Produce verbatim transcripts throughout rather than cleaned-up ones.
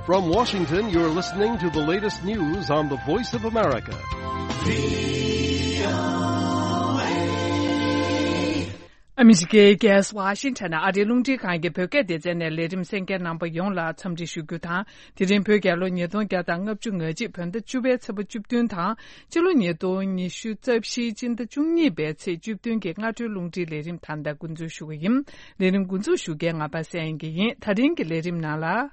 From Washington, you're listening to the latest news on the Voice of America. ཨ་མི་རི་ཀའི་རྒྱལ་ས་ཝ་ཤིང་ཊོན་ནས་ཨ་རིའི་རླུང་འཕྲིན་ཁང་གི་བོད་སྐད་སྡེ་ཚན་ནས་ལས་རིམ་གསན་མཁན་རྣམ་པ་ཡོངས་ལ་འཚམས་འདྲི་ཞུ་རྒྱུ་དང་། དེ་རིང་བོད་རྒྱལ་ལོ་ཉིས་སྟོང་བརྒྱ་དང་ལྔ་བཅུ་ང་གཅིག་བོད་ཟླ་བཅུ་པའི་ཚེས་པ་བཅུ་བདུན་དང་། སྤྱི་ལོ་ཉིས་སྟོང་ཉི་ཤུ་རྩ་བཞིའི་སྤྱི་ཟླ་བཅུ་གཉིས་པའི་ཚེས་བཅུ་བདུན་གྱི་སྔ་དྲོའི་རླུང་འཕྲིན་ལས་རིམ་ད་ལྟ་འགོ་འཛུགས་ཞུ་གི་ཡིན། ལས་རིམ་འགོ་འཛུགས་ཞུ་མཁན་ང་པ་སངས་དབྱངས་སྐྱིད་ཡིན། ད་རིང་གི་ལས་རིམ་ནང་ལ།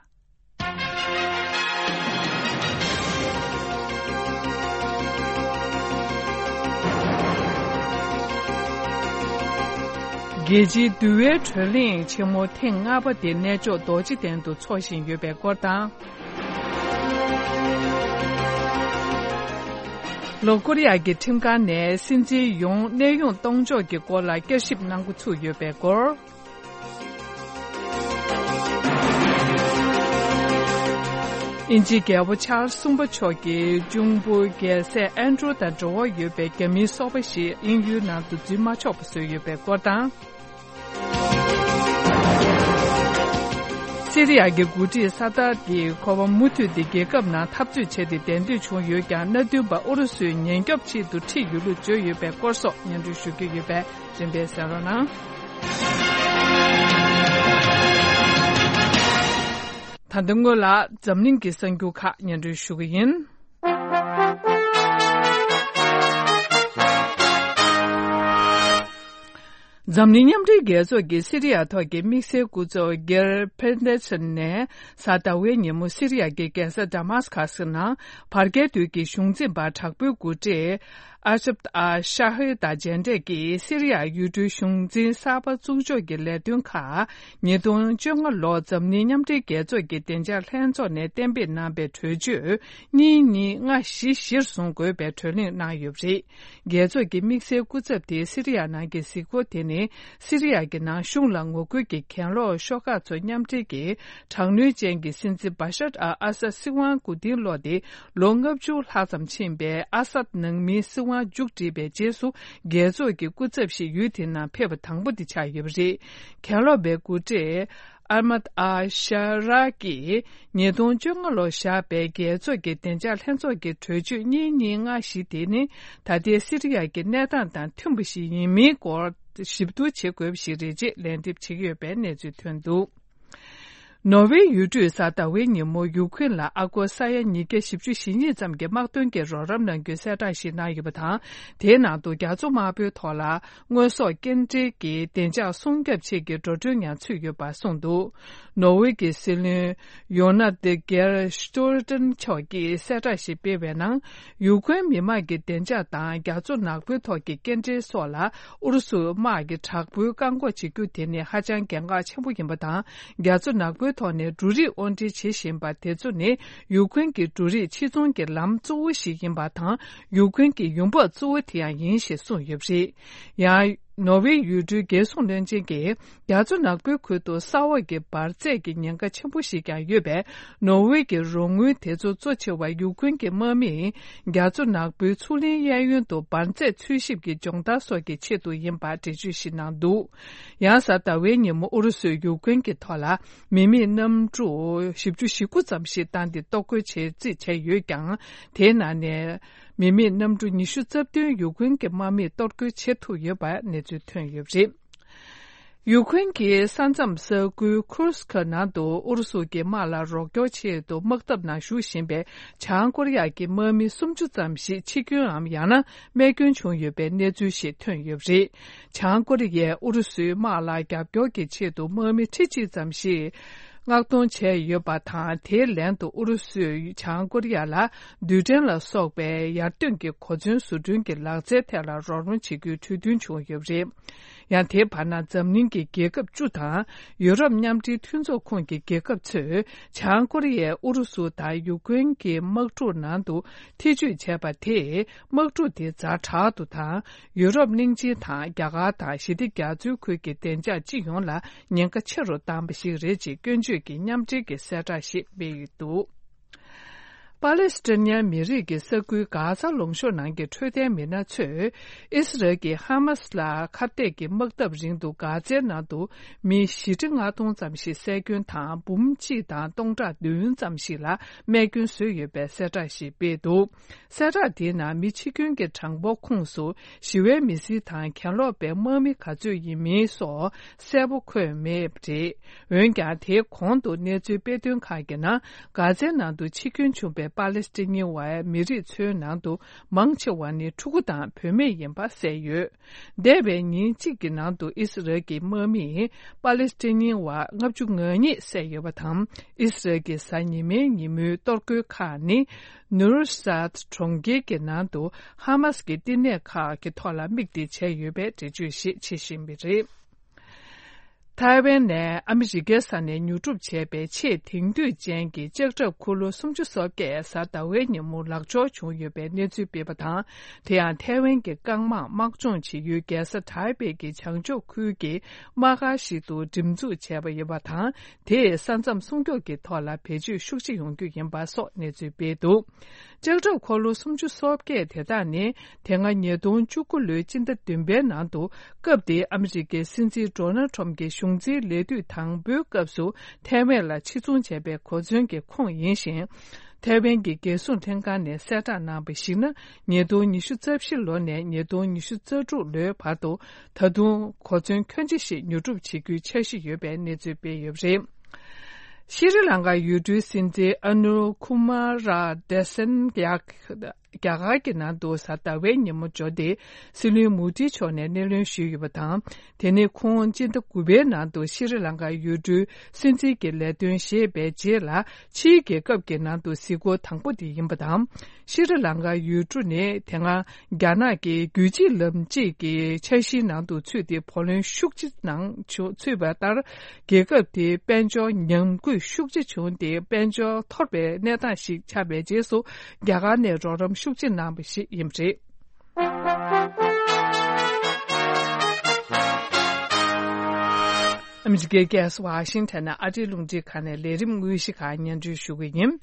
རྒྱལ་སྤྱིའི་འདུལ་བའི་བགྲོ་གླེང་ཆེན་མོ་ཐེངས་ལྔ་པ་དེ་གནས་མཆོག་རྡོ་རྗེ་གདན་དུ་འཚོགས་བཞིན་ཡོད་པའི་སྐོར་དང་། ལྷོ་ཀོ་རི་ཡ་གི་ཁྲིམས་ཁང་ནས་སྲིད་འཛིན་ཡོང་གནས་དབྱུང་གཏོང་ཕྱོགས་ཀྱི་སྐོར་ལ་བསྐྱར་ཞིབ་གནང་འགོ་ཚུགས་ཡོད་པའི་སྐོར། དབྱིན་ཇིའི་རྒྱལ་པོ་ཆཱལ་སི་གསུམ་པ་མཆོག་གིས་གཅུང་པོ་རྒྱལ་སྲས་ཨན་ཌྲུ་དང་འབྲེལ་བ་ཡོད་པའི་རྒྱ་མིའི་སོ་པ་ཞིག་དབྱིན་ཡུལ་ནང་དུ་འཛུལ་མ་ཆོག་པ་བཟོས་ཡོད་པའི་སྐོར་དང་། སི་རི་ཡ་གི་འགོ་ཁྲིད་ས་ཏཱད་ཀྱིས་ཁོ་པ་མུ་མཐུད་དེ་རྒྱལ་ཁབ་ནང་འཐབ་རྩོད་བྱས་ཏེ་བདེན་འདོད་བྱུང་ཡོད་ཀྱང་། མནའ་མཐུན་པ་ཨུ་རུ་སུས་ཉེན་སྐྱོབ་ཆེད་དུ་ཁྲིད་ཡོད་ལུགས་བརྗོད་ཡོད་པའི་སྐོར་སོགས་སྙན་སྒྲོན་ཞུ་རྒྱུ་ཡོད་པས། རིམ་པས་གསན་རོགས་གནང་། ད་ལྟ་སྔོན་ལ་འཛམ་གླིང་གི་གསར་འགྱུར་ཁག་སྙན་སྒྲོན་ཞུ་གི་ཡིན། འཛམ་གླིང་མཉམ་འབྲེལ་རྒྱལ་ཚོགས་ཀྱི་སི་རི་ཡ་ཐོག་གི་དམིགས་བསལ་སྐུ་ཚབ་གེར་ཕེ་ཏེ་སན་ནས་གཟའ་ཟླ་བའི་ཉིན་མོ་སི་རི་ཡ་གི་རྒྱལ་ས་ཌ་མཱ་སི་ཁ་སི་ནང་བར་བརྒལ་དུས་ཀྱི་གཞུང་འཛིན་པ་དྲག་པོའི་འགོ་ཁྲིད་ཨ་ཤབ་ཨ་ཤ་ཧི་དང་མཇལ་འཕྲད་ཀྱིས། སི་རི་ཡ་ཡུལ་གྲུའི་གཞུང་འཛིན་གསར་པ་བཙུགས་ཕྱོགས་ཀྱི་ལས་དོན་ཁག་ཉིས་སྟོང་བཅོ་ལྔ་ལོར་འཛམ་གླིང་མཉམ་འབྲེལ་རྒྱལ་ཚོགས་ཀྱི་བདེ་འཇགས་ལྷན་ཚོགས་ནས་གཏན་འབེབས་གནང་པའི་གྲོས་ཆོད་གཉིས་གཉིས་ལྔ་བཞི་གཞིར་བཟུང་དགོས་པའི་གྲོས་གླེང་གནང་ཡོད་པ་རེད། རྒྱལ་ཚོགས་ཀྱི་དམིགས་བསལ་སྐུ་ཚབ་དེས་སི་རི་ཡ་ནང་གི་གཟིགས་སྐོར་དེ་ནི། སི་རི་ཡ་གི་ནང་གཞུང་ལ་ངོ་རྒོལ་གྱི་གྱེན་ལོག་ཤོག་ཁག་ཚོ་མཉམ་འབྲེལ་གྱིས། དྲག་གནོན་ཅན་གྱི་སྲིད་འཛིན་བ་ཤར་ཨལ་ཨ་སད་སྲིད་དབང་མགོ་རྟིང་སློག་སྟེ་ལོ་ལྔ་བཅུ་ལྷག་ཙམ་ཕྱིན་པའི་ཨ་སད་ནང་མིའི་སྲིད་དབང་མཇུག་བསྒྲིལ་བའི་རྗེས་སུ། རྒྱལ་ཚོགས་ཀྱི་སྐུ་ཚབ་ཞིག་ཡུལ་དེ་ནང་ཕེབས་པ་དང་པོ་དེ་ཆགས་ཡོད་པ་རེད། གྱེན་ལོག་པའི་འགོ་ཁྲིད་ཨ་མད་ཨ་ཤ་ར་གིས་ཉིས་སྟོང་བཅོ་ལྔ་ལོར་བཞག་པའི་རྒྱལ་ཚོགས་ཀྱི་བདེ་འཇགས་ལྷན་ཚོགས་ཀྱི་གྲོས་ཆོད་གཉིས་གཉིས་ལྔ་བཞི་དེ་ནི། ད་ལྟའི་སི་རི་ཡ་གི་གནས་སྟངས་དང་མཐུན་པ་ཞིག་ཡིན་མིན་སྐོར་ཞིབ་བསྡུར་བྱེད་དགོས་པ་ཞིག་རེད་ཅེས་ལན་འདེབས་བྱེད་ཀྱི་ཡོད་པའི་གནས་ཚུལ་ཐོན་འདུག་ནོར་ཝེ་ཡུལ་གྲུས་གཟའ་ཟླ་བའི་ཉིན་མོ་ཡུ་ཁུན་ལ་ཨ་སྒོར་ས་ཡ་ཉིས་བརྒྱ་བཞི་བཅུ་ཞེ་གཉིས་ཙམ་གྱི་དམག་དོན་གྱི་རོགས་རམ་གནང་རྒྱུའི་གསལ་བསྒྲགས་ཤིག་གནང་ཡོད་པ་དང་། དེའི་ནང་དུ་རྒྱ་མཚོ་དམར་པོའི་ཐོག་ལ་དངོས་ཟོག་སྐྱེལ་འདྲེན་གྱི་བདེ་འཇགས་སྲུང་སྐྱོབ་ཆེད་ཀྱི་འགྲོ་གྲོན་ཡང་ཚུད་ཡོད་པ་གསུངས་འདུག་ནོར་ཝེ་གྱི་སྲིད་བློན་ཡོ་ན་དེ་གེར་སྟོལ་ཏན་མཆོག་གིས་གསལ་བསྒྲགས་ཤིག་སྤེལ་བའི་ནང་། ཡུ་ཁུན་མི་དམངས་ཀྱི་བདེ་འཇགས་དང་རྒྱ་མཚོ་ནག་པོའི་ཐོག་གི་སྐྱེལ་འདྲེན་སོགས་ལ་ཨུ་རུ་སུ་དམག་གིས་དྲག་པོའི་བཀག་འགོག་བྱེད་རྒྱུ་དེ་ནི་ཧ་ཅང་གལ་འགངས་ཆེན་པོ་ཡིན་པ་དང་། རྒྱ་མཚོ་ནག་པོའི་ཐོག་ནས་འབྲུ་རིགས་དབོར་འདྲེན་བྱེད་བཞིན་པ་དེ་ཚོ་ནི་ཡུ་ཁུན་གྱི་འབྲུ་རིགས་ཕྱིར་ཚོང་གི་ལམ་གཙོ་བོ་ཞིག་ཡིན་པ་དང་། ཡུ་ཁུན་གྱི་ཡོང་འབབ་གཙོ་བོ་དེ་ཡང་ཡིན་ཞེས་གསུངས་ཡོད་པ་རེད། ཡང་ནོར་ཝེ་ཡུལ་གྲུའི་རྒྱལ་སྲུང་བློན་ཆེན་གྱིས། རྒྱ་མཚོ་ནག་པོའི་ཁུལ་དུ་ས་འོག་གི་འབར་རྫས་ཀྱི་ཉེན་ཁ་ཆེན་པོ་ཞིག་ཀྱང་ཡོད་པས། ནོར་ཝེ་གྱི་རོགས་དངུལ་དེ་ཚོ་གཙོ་ཆེ་བ་ཡུ་ཁུན་གྱི་དམག་མིས་རྒྱ་མཚོ་ནག་པོའི་མཚོ་གླིང་གཡས་གཡོན་དུ་འབར་རྫས་འཚོལ་ཞིབ་ཀྱི་སྦྱོང་བརྡར་སོགས་ཀྱི་ཆེད་དུ་ཡིན་པ་འགྲེལ་བརྗོད་ཞིག་གནང་འདུག་ཡང་གཟའ་ཟླ་བའི་ཉིན་མོ་ཨུ་རུ་སུས་ཡུ་ཁུན་གྱི་ཐོག་ལ་མི་མེད་གནམ་གྲུ་བཞི་བཅུ་ཞེ་དགུ་ཙམ་ཞིག་བཏང་སྟེ་གཏོར་རྒོལ་བྱེད་རྩིས་བྱས་ཡོད་ཀྱང་། དེའི་ནང་ནས་མི་མེད་གནམ་གྲུ་ཉི་ཤུ་རྩ་བདུན་ཡུ་ཁུན་གྱི་དམག་མིས་གཏོར་རྒོལ་བྱེད་ཐུབ་ཡོད་པ་གནས་ཚུལ་ཐོན་ཡོད་པ་རེད། ཡུ་ཁུན་གྱི་ས་མཚམས་ས་ཁུལ་ཁུར་སི་ཁ་ནང་དུ་ཨུ་རུ་སུ་གྱི་དམག་ལ་རོགས་སྐྱོར་ཆེད་དུ་དམག་འཐབ་ནང་ཞུགས་བཞིན་པའི་བྱང་ཀོ་རི་ཡ་གྱི་དམག་མི་སུམ་ཅུ་ཙམ་ཞིག་འཆི་སྐྱོན་འམ་ཡང་ན་རྨས་སྐྱོན་བྱུང་ཡོད་པའི་གནས་ཚུལ་ཞིག་ཐོན་ཡོད་པ་རེད། བྱང་ཀོ་རི་ཡས་ཨུ་རུ་སུའི་དམག་ལ་རྒྱབ་སྐྱོར་གྱི་ཆེད་དུ་དམག་མི་ཁྲི་གཅིག་ཙམ་ཞིག་མངགས་གཏོང་བྱས་ཡོད་པ་དང་། དེའི་ལན་དུ་ཨུ་རུ་སུས་བྱང་ཀོ་རི་ཡ་ལ་རྡུལ་ཕྲན་ལ་སོགས་པའི་ཡར་ཐོན་གྱི་གོ་མཚོན་བཟོ་སྐྲུན་གྱི་ལག་རྩལ་ཐད་ལ་རོགས་རམ་བྱེད་རྒྱུའི་གྲོས་མཐུན་བྱུང་ཡོད་པ་རེད། ཡང་དེའི་བར་ན་འཛམ་གླིང་གི་རྒྱལ་ཁབ་བཅུ་དང་ཡུ་རོབ་མཉམ་འབྲེལ་མཐུན་ཚོགས་ཁོངས་ཀྱི་རྒྱལ་ཁབ་ཚོས་བྱང་ཀོ་རི་ཡས་ཨུ་རུ་སུ་དང་ཡུ་ཀེ་རེན་གྱི་དམག་འཁྲུག་ནང་དུ་ཐེ་ཇུས་བྱས་པ་དེས་དམག་འཁྲུག་དེ་ཛ་དྲག་ཏུ་དང་། ཡུ་རོབ་གླིང་ཆེན་དང་རྒྱ་གར་དང་ཞི་བདེ་རྒྱ་མཚོའི་ཁུལ་གྱི་བདེ་འཇགས་སྤྱི་ཡོངས་ལ་ཉེན་ཁ་ཆེ་རུ་བཏང་བ་ཞིག་རེད་ཅེས་སྐྱོན་བརྗོད་ཀྱི་མཉམ་འབྲེལ་གྱི་གསལ་བསྒྲགས་ཤིག་སྤེལ་ཡོད་འདུག་པ་ལེ་སི་ཐན་མི་རིགས་ཀྱི་ས་ཁུལ་གྷ་ཛ་ལུང་གཤོང་ནང་གི་འཕྲོད་བསྟེན་མི་སྣ་ཚོས། ཨི་སི་རལ་གྱིས་ཧ་མ་སི་ལ་ཁ་གཏད་ཀྱི་དམག་འཐབ་རིང་དུ་གྷ་ཛའི་ནང་དུ་མི་བཞི་ཁྲི་ལྔ་སྟོང་ཙམ་ཞིག་བསད་སྐྱོན་དང་། འབུམ་གཅིག་དང་སྟོང་ཕྲག་བདུན་ཙམ་ཞིག་ལ་རྨས་སྐྱོན་བཟོས་ཡོད་པའི་གསལ་བསྒྲགས་ཤིག་སྤེལ་འདུག་གསལ་བསྒྲགས་དེའི་ནང་མི་འཆི་སྐྱོན་གྱི་གྲངས་འབོར་ཁོངས་སུ་ཞི་བའི་མི་སེར་དང་། གྱེན་ལོག་པའི་དམག་མི་ག་ཚོད་ཡིན་མིན་སོགས་གསལ་པོ་འཁོད་མེད་པ་རེད། འོན་ཀྱང་། དེའི་གོང་དུ་གནས་ཚུལ་སྤེལ་དོན་ཁག་གི་ནང་། གྷ་ཛའི་ནང་དུ་འཆི་སྐྱོན་བྱུང་བའི་པ་ལེ་སི་ཐན་བ་མི་རིགས་ཚོའི་ནང་དུ་མང་ཆེ་བ་ནི་ཕྲུ་གུ་དང་བུད་མེད་ཡིན་པ་གསལ་ཡོད། འདས་པའི་ཉིན་གཅིག་གི་ནང་དུ་ཨི་སི་རལ་གྱི་དམག་མིས་པ་ལེ་སི་ཐན་བ་ལྔ་བཅུ་ང་གཉིས་བསད་ཡོད་པ་དང་། ཨི་སི་རལ་གྱི་གཟའ་ཉི་མའི་ཉིན་མོའི་གཏོར་རྒོལ་ཁག་ནི་ནུ་རུ་སཱད་གྲོང་ཁྱེར་གྱི་ནང་དུ་ཧ་མ་སི་ཀྱི་བསྟི་གནས་ཁག་གི་ཐོག་ལ་དམིགས་ཏེ་བྱས་ཡོད་པའི་འགྲེལ་བརྗོད་ཞིག་བྱེད་བཞིན་པ་རེད། ཐའེ་ཝན་ནས་ཨ་མི་རི་ཀའི་ས་ནས་ཉོ་སྒྲུབ་བྱས་པའི་ཆེས་དེང་དུས་ཅན་གྱི་ལྕགས་ཁྲབ་འཁོར་ལོ་སུམ་ཅུ་སོ་བརྒྱད་གཟའ་ཟླ་བའི་ཉིན་མོ་ལག་འབྱོར་བྱུང་ཡོད་པའི་གནས་ཚུལ་སྤེལ་བ་དང་། དེ་ཡང་ཐའེ་ཝན་གྱི་རྐང་དམག་དམག་སྦྱོང་བྱེད་ཡུལ་རྒྱལ་ས་ཐའེ་པེ་གྱི་བྱང་ཕྱོགས་ཁུལ་གྱི་དམག་སྒར་ཞིག་ཏུ་འགྲེམས་འཛུགས་བྱས་པ་ཡིན་པ་དང་། དེས་ས་མཚམས་སྲུང་སྐྱོབ་ཀྱི་ཐོག་ལ་བེད་སྤྱོད་ཤུགས་ཆེ་ཡོང་རྒྱུ་ཡིན་པ་སོགས་གནས་ཚུལ་སྤེལ་འདུག་ལྕགས་ཁྲབ་འཁོར་ལོ་སུམ་ཅུ་སོ་བརྒྱད་དེ་དག་ནི་དེ་སྔ་ཉིས་སྟོང་བཅུ་དགུ་ལོའི་སྤྱི་ཟླ་བདུན་པའི་ནང་དུ། སྐབས་དེའི་ཨ་མི་རི་ཀའི་སྲིད་འཛིན་ཌོ་ནལ་ཁྲོམ་གྱི་གཞུང་འཛིན་ལས་དུས་དང་པོའི་སྐབས་སུ་ཐའེ་ཝན་ལ་ཕྱིར་ཚོང་བྱས་པའི་གོ་མཚོན་གྱི་ཁོངས་ཡིན་ཞིང་། ཐའེ་ཝན་གྱི་རྒྱལ་སྲུང་ལྷན་ཁང་ནས་གསལ་བསྒྲགས་གནང་བར་གཞིགས་ན། ཉིས་སྟོང་ཉི་ཤུ་རྩ་བཞི་ལོ་ནས་ཉིས་སྟོང་ཉི་ཤུ་རྩ་དྲུག་ལོའི་བར་དུ་ད་དུང་གོ་མཚོན་ཁྱོན་ཆེ་ཞིག་ཉོ་སྒྲུབ་བྱེད་རྒྱུའི་འཆར་གཞི་ཡོད་པའི་གནས་ཚུལ་སྤེལ་ཡོད་པ་རེད། ཤྲི་ལང་ཀ་ཡུལ་གྲུའི་སྲིད་འཛིན་ཨ་ནུ་ཁུ་མ་ར་དེ་སན་ཡག་རྒྱ་གར་གྱི་ནང་དུ་གཟའ་ཟླ་བའི་ཉིན་མོ་འབྱོར་ཏེ། སྲིད་བློན་མོ་དི་མཆོག་ནས་སྣེ་ལེན་ཞུས་ཡོད་པ་དང་། དེ་ནི་ཁོང་སྤྱི་ཟླ་དགུ་པའི་ནང་དུ་ཤྲི་ལང་ཀ་ཡུལ་གྲུའི་སྲིད་འཛིན་གྱི་ལས་དོན་བཞེས་པའི་རྗེས་ལ། ཕྱིའི་རྒྱལ་ཁབ་ཀྱི་ནང་དུ་གཟིགས་སྐོར་དང་པོ་དེ་ཡིན་པ་དང་། ཤྲི་ལང་ཀ་ཡུལ་གྲུ་ནི་དེ་སྔ་རྒྱ་ནག་གི་རྒྱུད་གཅིག་ལམ་གཅིག་གི་འཆར་གཞིའི་ནང་དུ་ཚུད་དེ། བུ་ལོན་ཤུགས་ཆེ་ནང་ཚུད་པ་ལྟར། རྒྱལ་ཁབ་དེའི་དཔལ་འབྱོར་ཉམས་རྒུད་ཤུགས་ཆེ་བྱུང་སྟེ། དཔལ་འབྱོར་འཐོར་བའི་གནས་སྟངས་ཤིག་ཆགས་པའི་རྗེས་སུ། རྒྱ་གར་ནས་རོགས་རམ་ཤུགས་ཆེ་གནང་བ་ཞིག་ཡིན་པ་རེད། ཨ་མི་རི་ཀའི་རྒྱལ་ས་ཝ་ཤིང་ཊོན་ནས་ཨ་རིའི་རླུང་འཕྲིན་ཁང་ནས་ལས་རིམ་དངོས་གཞི་ཁག་སྙན་སྒྲོན་ཞུ་གི་ཡིན།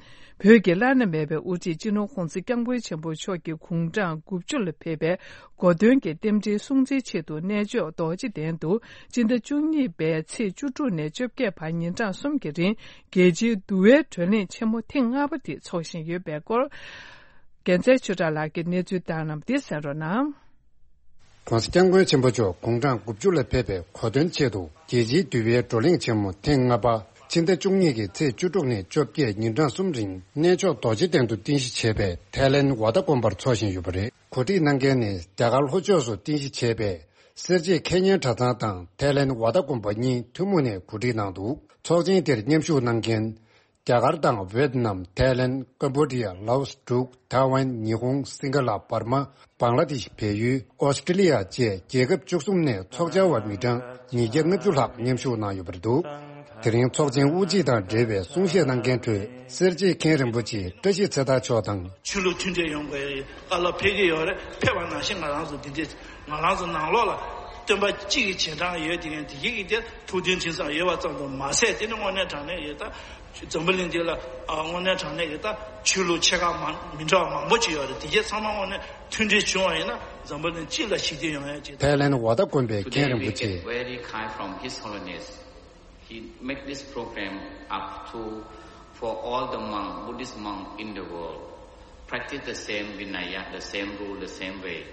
བོད་ཀྱི་བླ་ན་མེད་པའི་དབུ་ཁྲིད་སྤྱི་ནོར་༸གོང་ས་༸སྐྱབས་མགོན་ཆེན་པོ་མཆོག་གི་དགུང་གྲངས་དགུ་བཅུ་ལ་ཕེབས་པའི་གོ་སྟོན་གྱི་རྟེན་འབྲེལ་སྲུང་བརྩིའི་ཆེད་དུ། གནས་མཆོག་རྡོ་རྗེ་གདན་དུ་སྤྱི་ཟླ་བཅུ་གཉིས་པའི་ཚེས་བཅུ་དྲུག་ནས་བཅོ་བརྒྱད་བར་ཉིན་གྲངས་གསུམ་གྱི་རིང་རྒྱལ་སྤྱིའི་འདུལ་བའི་བགྲོ་གླེང་ཆེན་མོ་ཐེངས་ལྔ་པ་དེ་འཚོགས་བཞིན་ཡོད་པའི་སྐོར། རྒྱལ་མཚན་ཆོས་གྲགས་ལགས་ཀྱིས་གནས་ཚུལ་བཏང་གནང་བ་དེ་གསན་རོགས་གནང་། ༸གོང་ས་༸སྐྱབས་མགོན་ཆེན་པོ་མཆོག་དགུང་གྲངས་དགུ་བཅུ་ལ་ཕེབས་པའི་གོ་སྟོན་ཆེད་དུ། རྒྱལ་སྤྱིའི་འདུལ་བའི་བགྲོ་གླེང་ཆེན་མོ་ཐེངས་ལྔ་པ། ཕྱི་ཟླ་བཅུ་གཉིས་ཀྱི་ཚེས་བཅུ་དྲུག་ནས་བཅོ་བརྒྱད་ཉིན་གྲངས་གསུམ་རིང་གནས་མཆོག་རྡོ་རྗེ་གདན་དུ་རྟེན་གཞི་བྱས་པའི་ཐའི་ལེན་ཝ་ཏ་དགོན་པར་འཚོགས་བཞིན་ཡོད་པ་རེད། གོ་སྒྲིག་གནང་མཁན་ནི་རྒྱ་གར་ལྷོ་ཕྱོགས་སུ་རྟེན་གཞི་བྱས་པའི་སེར་བྱེས་ཁེ་ཉན་གྲྭ་ཚང་དང་ཐའི་ལེན་ཝ་ཏ་དགོན་པ་གཉིས་ཐུན་མོང་ནས་གོ་སྒྲིག་གནང་འདུག་ཚོགས་ཆེན་དེར་མཉམ་ཞུགས་གནང་མཁན། རྒྱ་གར་དང་ཝེད་ནམ། ཐའི་ལེན། ཀམ་བོ་ཌི་ཡ། ལའོ་སི། འབྲུག་ཐའེ་ཝན། ཉི་ཧོང་། སིང་ག་ལ། འབར་མ། བང་ལ་དེཤ། བལ་ཡུལ། ཨོ་སི་ཀྲི་ལི་ཡ་བཅས་རྒྱལ་ཁབ་བཅུ་གསུམ་ནས་ཚོགས་བཅར་བ་མི་གྲངས་ཉིས་བརྒྱ་ལྔ་བཅུ་ལྷག་མཉམ་ཞུགས་གནང་ཡོད་པ་རེད་འདུག་དེ་རིང་ཚོགས་ཆེན་དབུ་འབྱེད་དང་འབྲེལ་བའི་གསུང་བཤད་གནང་མཁན་ཁྲོད། སེར་བྱེས་མཁན་རིན་པོ་ཆེ་བཀྲ་ཤིས་ཚེ་ཐར་མཆོག་དང་། ཆོས་ལུགས་མཐུན་སྒྲིལ་ཡོང་དགོས་ཡ་གི་བཀའ་སློབ་ཕེབས་ཀྱི་ཡོད་རེད། ཕེབས་པ་ནང་བཞིན་ང་རང་ཚོ་འདི་འདྲའི་ང་རང་ཚོ་ནང་ལོགས་ལ་སྟོན་པ་གཅིག་གི་རྗེས་འབྲང་ཡོད་དེ། ངས་དེ་གའི་གི་དེ་ཐུགས་མཐུན་དེང་སང་ཡོད་པ་ཙམ་དུ་མ་ཟད། དེ་ནི་དངོས་གནས་དྲང་གནས་ཡོད་ད། འཛམ་བུ་གླིང་འདི་ལ་ཨ་དངོས་གནས་དྲང་གནས་ཀྱི་ད་ཆོས་ལུགས་ཆེ་ཁག་མང་མི་འདྲ་བ་མང་པོ་ཅིག་ཡོད་རེད། དེ་གས་ཚང་མ་དངོས་གནས་མཐུན་སྒྲིལ་བྱུང་བ་ཡིན་ན་འཛམ་བུ་གླིང་སྤྱི་ལ་ཞི་བདེ་ཡོང་ཡ་ཅིག་དང་། ཐའི་ལེན་ཝ་ཏ་དགོན་པའི་མཁན་Today རིན་པོ་we ཆེ། Get very kind from His Holiness. He make this program up to for all the monk, Buddhist monk in the world. Practice the same Vinaya, the same rule, the same way.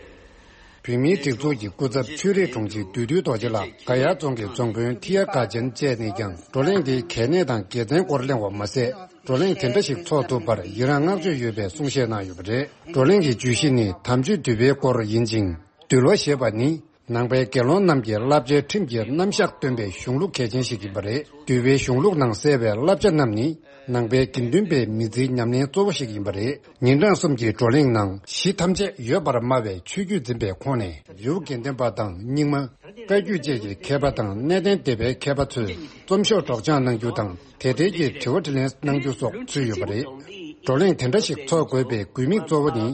བོད་མིའི་སྒྲིག་འཛུགས་ཀྱི་སྐུ་ཚབ་ཆོས་རིག་དྲུང་ཆེ་བདུད་འདུལ་རྡོ་རྗེ་ལགས་ག་ཡ་རྫོང་གི་རྫོང་དཔོན་ཐི་ཡ་དགའ་ཅན་བཅས་ནས་ཀྱང་བགྲོ་གླེང་འདིའི་གལ་གནད་དང་དགེ་མཚན་སྐོར་གླེང་བ་མ་ཟད། བགྲོ་གླེང་དེ་འདྲ་ཞིག་འཚོགས་ཐུབ་པར་ཡི་རངས་བསྔགས་བརྗོད་ཡོད་པའི་གསུང་བཤད་གནང་ཡོད་པ་རེད། བགྲོ་གླེང་གི་བརྗོད་གཞི་ནི་དམ་ཆོས་འདུལ་བའི་སྐོར་ཡིན་ཅིང་། འདུལ་བ་ཞེས་པ་ནི་ནང་པའི་དགེ་སློང་རྣམས་ཀྱི་བསླབ་བྱའི་ཁྲིམས་ཀྱི་རྣམ་གཞག་སྟོན་པའི་གཞུང་ལུགས་གལ་ཆེན་ཞིག་ཡིན་པ་རེད། འདུལ་བའི་གཞུང་ལུགས་ནང་གསལ་བའི་བསླབ་བྱ་རྣམས་ནི་ནང་པའི་དགེ་འདུན་པའི་མི་ཚེའི་ཉམས་ལེན་གཙོ་བོ་ཞིག་ཡིན་པ་རེད། ཉིན་གྲངས་གསུམ་གྱི་བགྲོ་གླེང་ནང་གཞི་ཐམས་ཅད་ཡོད་པར་སྨྲ་བའི་ཆོས་བརྒྱུད་འཛིན་པའི་ཁོངས་ནས་རི་བོ་དགེ་ལྡན་པ་དང་རྙིང་མ། བཀའ་བརྒྱུད་བཅས་ཀྱི་མཁས་པ་དང་གནས་བརྟན་སྡེ་པའི་མཁས་པ་ཚོས་རྩོམ་ཤོག་སྒྲོག་སྦྱང་གནང་རྒྱུ་དང་དེ་འབྲེལ་གྱི་དྲི་བ་དྲིས་ལན་གནང་རྒྱུ་སོགས་ཚུད་ཡོད་པ་རེད། བགྲོ་གླེང་དེ་འདྲ་ཞིག་འཚོགས་དགོས་པའི་དགོས་དམིགས་གཙོ་བོ་ནི།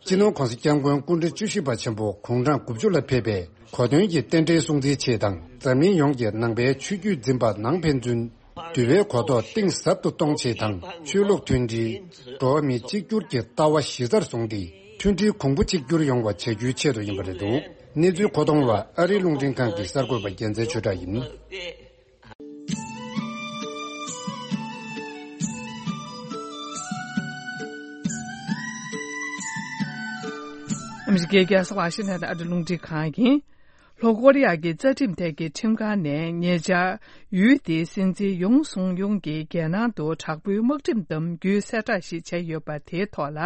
སྤྱི་ནོར་༸གོང་ས་༸སྐྱབས་མགོན་སྐུ་ཕྲེང་བཅུ་བཞི་པ་ཆེན་པོ་དགུང་གྲངས་དགུ་བཅུ་ལ་ཕེབས་པའི་གོ་སྟོན་གྱི་རྟེན་འབྲེལ་སྲུང་བརྩིའི་ཆེད་དང་། འཛམ་གླིང་ཡོངས་ཀྱི་ནང་པའི་ཆོས་བརྒྱུད་འཛིན་པ་ནང་ཕན་ཚུན་ འགྲུལ་པའི་གོ་རྟོགས་གཏིང་ཟབ་ཏུ་གཏོང་ཆེད་དང་། ཆོས་ལུགས་མཐུན་སྒྲིལ། འགྲོ་བ་མི་གཅིག་གྱུར་གྱི་ལྟ་བ་གཞི་རྩར་བཟུང་སྟེ། མཐུན་སྒྲིལ་གོང་བུ་གཅིག་གྱུར་ཡོང་བ་བྱ་རྒྱུའི་ཆེད་དུ་ཡིན་པ་རེད་འདུག། གནས་ཚུལ་མཁོ་གཏོང་བ་ཨ་རིའི་རླུང་འཕྲིན་ཁང་གི་གསར་འགོད་པ་རྒྱལ་མཚན་ཆོས་གྲགས་ཡིན། ཨ་མི་རི་ཀའི་རྒྱལ་ས་ཝ་ཤིང་ཊོན་ནས་ཨ་རིའི་རླུང་འཕྲིན་ཁང་ཡིན། ལྷོ་ཀོ་རི་ཡ་གི་རྩ་ཁྲིམས་ཐད་ཀྱི་ཁྲིམས་ཁང་ནས་ཉེ་ཆར་ཡུལ་དེའི་སྲིད་འཛིན་ཡུང་སུང་ཡུང་གིས་རྒྱལ་ནང་དུ་དྲག་པོའི་དམག་ཁྲིམས་དམ་རྒྱུའི་གསལ་བསྒྲགས་ཤིག་བྱས་ཡོད་པ་དེའི་ཐོག་ལ།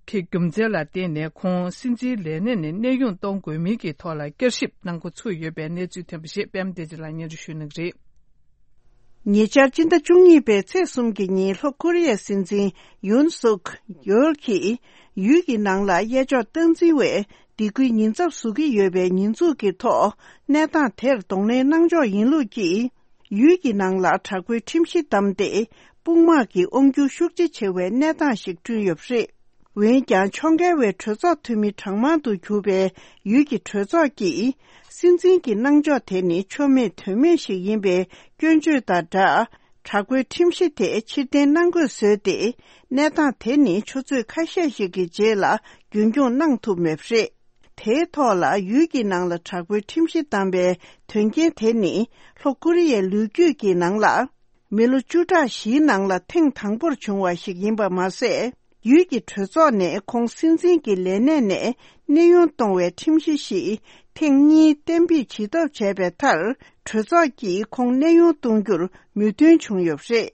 གི་རྒྱུ་མཚན་ལ་བརྟེན་ནས་ཁོང་སྲིད་འཛིན་ལས་གནས་ནས་གནས་དབྱུང་གཏོང་དགོས་མིན་གྱི་ཐོག་ལ་བསྐྱར་ཞིབ་གནང་འགོ་ཚུགས་ཡོད་པའི་གནས་ཚུལ་ཐོན་པ་ཞིག་པད་མ་བདེ་ཆེན་ལགས་སྙན་སྒྲོན་ཞུ་གནང་གི་རེད། ཉེ་ཆར་སྤྱི་ཟླ་བཅུ་གཉིས་པའི་ཚེས་གསུམ་གྱི་ཉིན་ལྷོ་ཀོ་རི་ཡའི་སྲིད་འཛིན་ཡུན་སུག་ཡོལ་གྱིས་ཡུལ་གྱི་ནང་ལ་གཡས་ཕྱོགས་སྟངས་འཛིན་བས་སྡིགས་སྐུལ་ཉེན་ཚབས་བཟོ་གི་ཡོད་པའི་ཉེས་འཛུགས་ཀྱི་ཐོག་གནས་སྟངས་དེར་གདོང་ལེན་གནང་ཕྱོགས་ཡིན་ལུགས་ཀྱིས། ཡུལ་གྱི་ནང་ལ་དྲག་པོའི་ཁྲིམས་གཞི་བསྡམས་ཏེ། དཔུང་དམག་གི་དབང་སྒྱུར་ཤུགས་ཆེ་བྱེད་པའི་གནས་སྟངས་ཤིག་བསྐྲུན་ཡོད་པ་རེད། འོན་ཀྱང་། ཕྱོགས་འགལ་བའི་གྲོས་ཚོགས་འཐུས་མི་གྲངས་མང་དུ་གྱུར་པའི་ཡུལ་གྱི་གྲོས་ཚོགས་ཀྱིས། སྲིད་འཛིན་གྱི་གནང་ཕྱོགས་དེ་ནི་ཆོ་མེད་དོན་མེད་ཞིག་ཡིན་པའི་སྐྱོན་བརྗོད་དང་སྦྲགས། དྲག་པོའི་ཁྲིམས་གཞི་དེ་ཕྱིར་འཐེན་གནང་དགོས་བཟོས་ཏེ། གནས་སྟངས་དེ་ནི་ཆུ་ཚོད་ཁ་ཤས་ཤིག་གི་རྗེས་ལ་རྒྱུན་འཁྱོངས་གནང་ཐུབ་མེད་པ་རེད། དེའི་ཐོག་ལ། ཡུལ་གྱི་ནང་ལ་དྲག་པོའི་ཁྲིམས་གཞི་བསྡམས་པའི་དོན་རྐྱེན་དེ་ནི། ལྷོ་ཀོ་རི་ཡའི་ལོ་རྒྱུས་ཀྱི་ནང་ལ། མི་ལོ་བཅུ་ཕྲག་བཞིའི་ནང་ལ་ཐེངས་དང་པོར་བྱུང་བ་ཞིག་ཡིན་པ་མ་ཟད། ཡུལ་གྱི་གྲོས་ཚོགས་ནས་ཁོང་སྲིད་འཛིན་གྱི་ལས་གནས་ནས་གནས་དབྱུང་གཏོང་བའི་ཁྲིམས་གཞི་ཞིག་ཐེངས་གཉིས་གཏན་འབེབས་བྱེད་ཐབས་བྱས་པའི་མཐར། གྲོས་ཚོགས་ཀྱིས་ཁོང་གནས་དབྱུང་གཏོང་རྒྱུར་མོས་མཐུན་བྱུང་ཡོད་པ་རེད།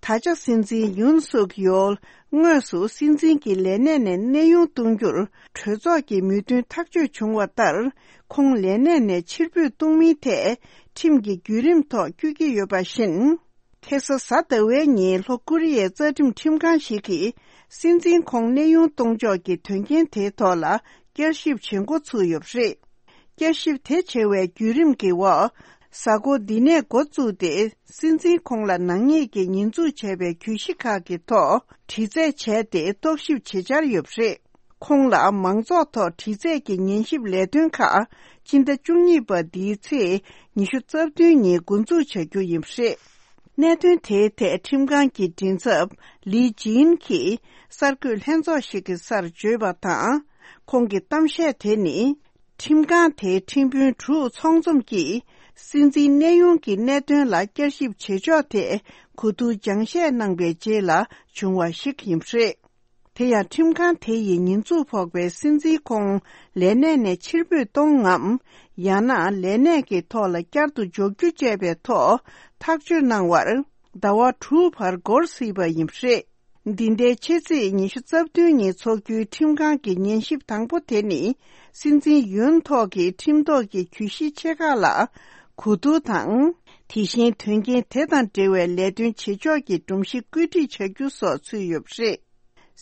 ད་ཆ་སྲིད་འཛིན་ཡུན་སུག་ཡོལ་དངོས་སུ་སྲིད་འཛིན་གྱི་ལས་གནས་ནས་གནས་དབྱུང་གཏོང་རྒྱུར་གྲོས་ཚོགས་ཀྱི་མོས་མཐུན་ཐག་གཅོད་བྱུང་བ་ལྟར། ཁོང་ལས་གནས་ནས་ཕྱིར་འབུད་གཏོང་མིན་ཐད་ཁྲིམས་ཀྱི་བརྒྱུད་རིམ་ཐོག་བསྐྱོད་ཀྱི་ཡོད་པ་བཞིན། ཁ་སང་གཟའ་ཟླ་བའི་ཉིན་ལྷོ་ཀོ་རི་ཡའི་རྩ་ཁྲིམས་ཁྲིམས་ཁང་ཞིག་གིས་སྲིད་འཛིན་ཁོང་གནས་དབྱུང་གཏོང་ཕྱོགས་ཀྱི་དོན་རྐྱེན་དེའི་ཐོག་ལ་བསྐྱར་ཞིབ་བྱེད་འགོ་ཚུགས་ཡོད་པ་རེད། བསྐྱར་ཞིབ་དེ་བྱེད་པའི་བརྒྱུད་རིམ་གྱི་འོག་གཟའ་འཁོར་འདི་ནས་འགོ་བཙུགས་ཏེ། སྲིད་འཛིན་ཁོང་ལ་ནག་ཉེས་ཀྱི་ཉེས་འཛུགས་བྱས་པའི་གྱོད་གཞི་ཁག་གི་ཐོག་དྲི་རྩད་བྱས་ཏེ། རྟོག་ཞིབ་བྱེད་འཆར་ཡོད་པ་རེད། ཁོང་ལ་མང་ཚོགས་ཐོག་དྲི་རྩད་ཀྱི་ཉན་ཞིབ་ལས་དོན་ཁག་སྤྱི་ཟླ་བཅུ་གཉིས་པ་འདིའི་ཚེས་ཉི་ཤུ་རྩ་བདུན་ཉིན་འགོ་འཛུགས་བྱ་རྒྱུ་ཡིན་པ་རེད། གནད་དོན་དེའི་ཐད་ཁྲིམས་ཁང་གི་མགྲིན་ཚབ་ལི་ཇིན་གྱིས་གསར་འགོད་ལྷན་ཚོགས་ཤིག་གི་སར་བརྗོད་པ་དང་། ཁོང་གི་གཏམ་བཤད་དེ་ནི། ཁྲིམས་ཁང་དེའི་ཁྲིམས་དཔོན་དྲུག་ཚང་འཛོམས་ཀྱིས་སྲིད་འཛིན་གནས་དབྱུང་གི་གནད་དོན་ལ་བསྐྱར་ཞིབ་བྱེད་ཕྱོགས་ཐད་གོ་བསྡུར་སྦྱང་བཤད་གནང་པའི་རྗེས་ལ་བྱུང་བ་ཞིག་ཡིན་པ་རེད། དེ་ཡང་ཁྲིམས་ཁང་དེ་ཡིས་ཉེས་འཛུགས་ཕོག་པའི་སྲིད་འཛིན་ཁོང་ལས་གནས་ནས་ཕྱིར་འབུད་གཏོང་ངམ། ཡང་ན་ལས་གནས་ཀྱི་ཐོག་ལ་བསྐྱར་དུ་འཇོག་རྒྱུ་བཅས་པའི་ཐོག་ཐག་གཅོད་གནང་བར་ཟླ་བ་དྲུག་བར་འགོར་སྲིད་པ་ཡིན་པ་རེད། འདི་ཟླའི་ཕྱི་ཚེས་ཉི་ཤུ་རྩ་བདུན་ཉིན་འཚོགས་རྒྱུའི་ཁྲིམས་ཁང་གི་ཉན་ཞིབ་དང་པོ་དེ་ནི། སྲིད་འཛིན་ཡོན་ཐོག་གི་ཁྲིམས་ཐོག་གི་གྱོད་གཞི་ཆེ་ཁག་ལ་གོ་བསྡུར་དང་། དེ་བཞིན་དོན་རྐྱེན་དེ་དང་འབྲེལ་བའི་ལས་དོན་བྱེད་ཕྱོགས་ཀྱི་སྒྲོམ་གཞི་བཀོད་སྒྲིག་བྱ་རྒྱུ་སོགས་ཚུད་ཡོད་པ་རེད།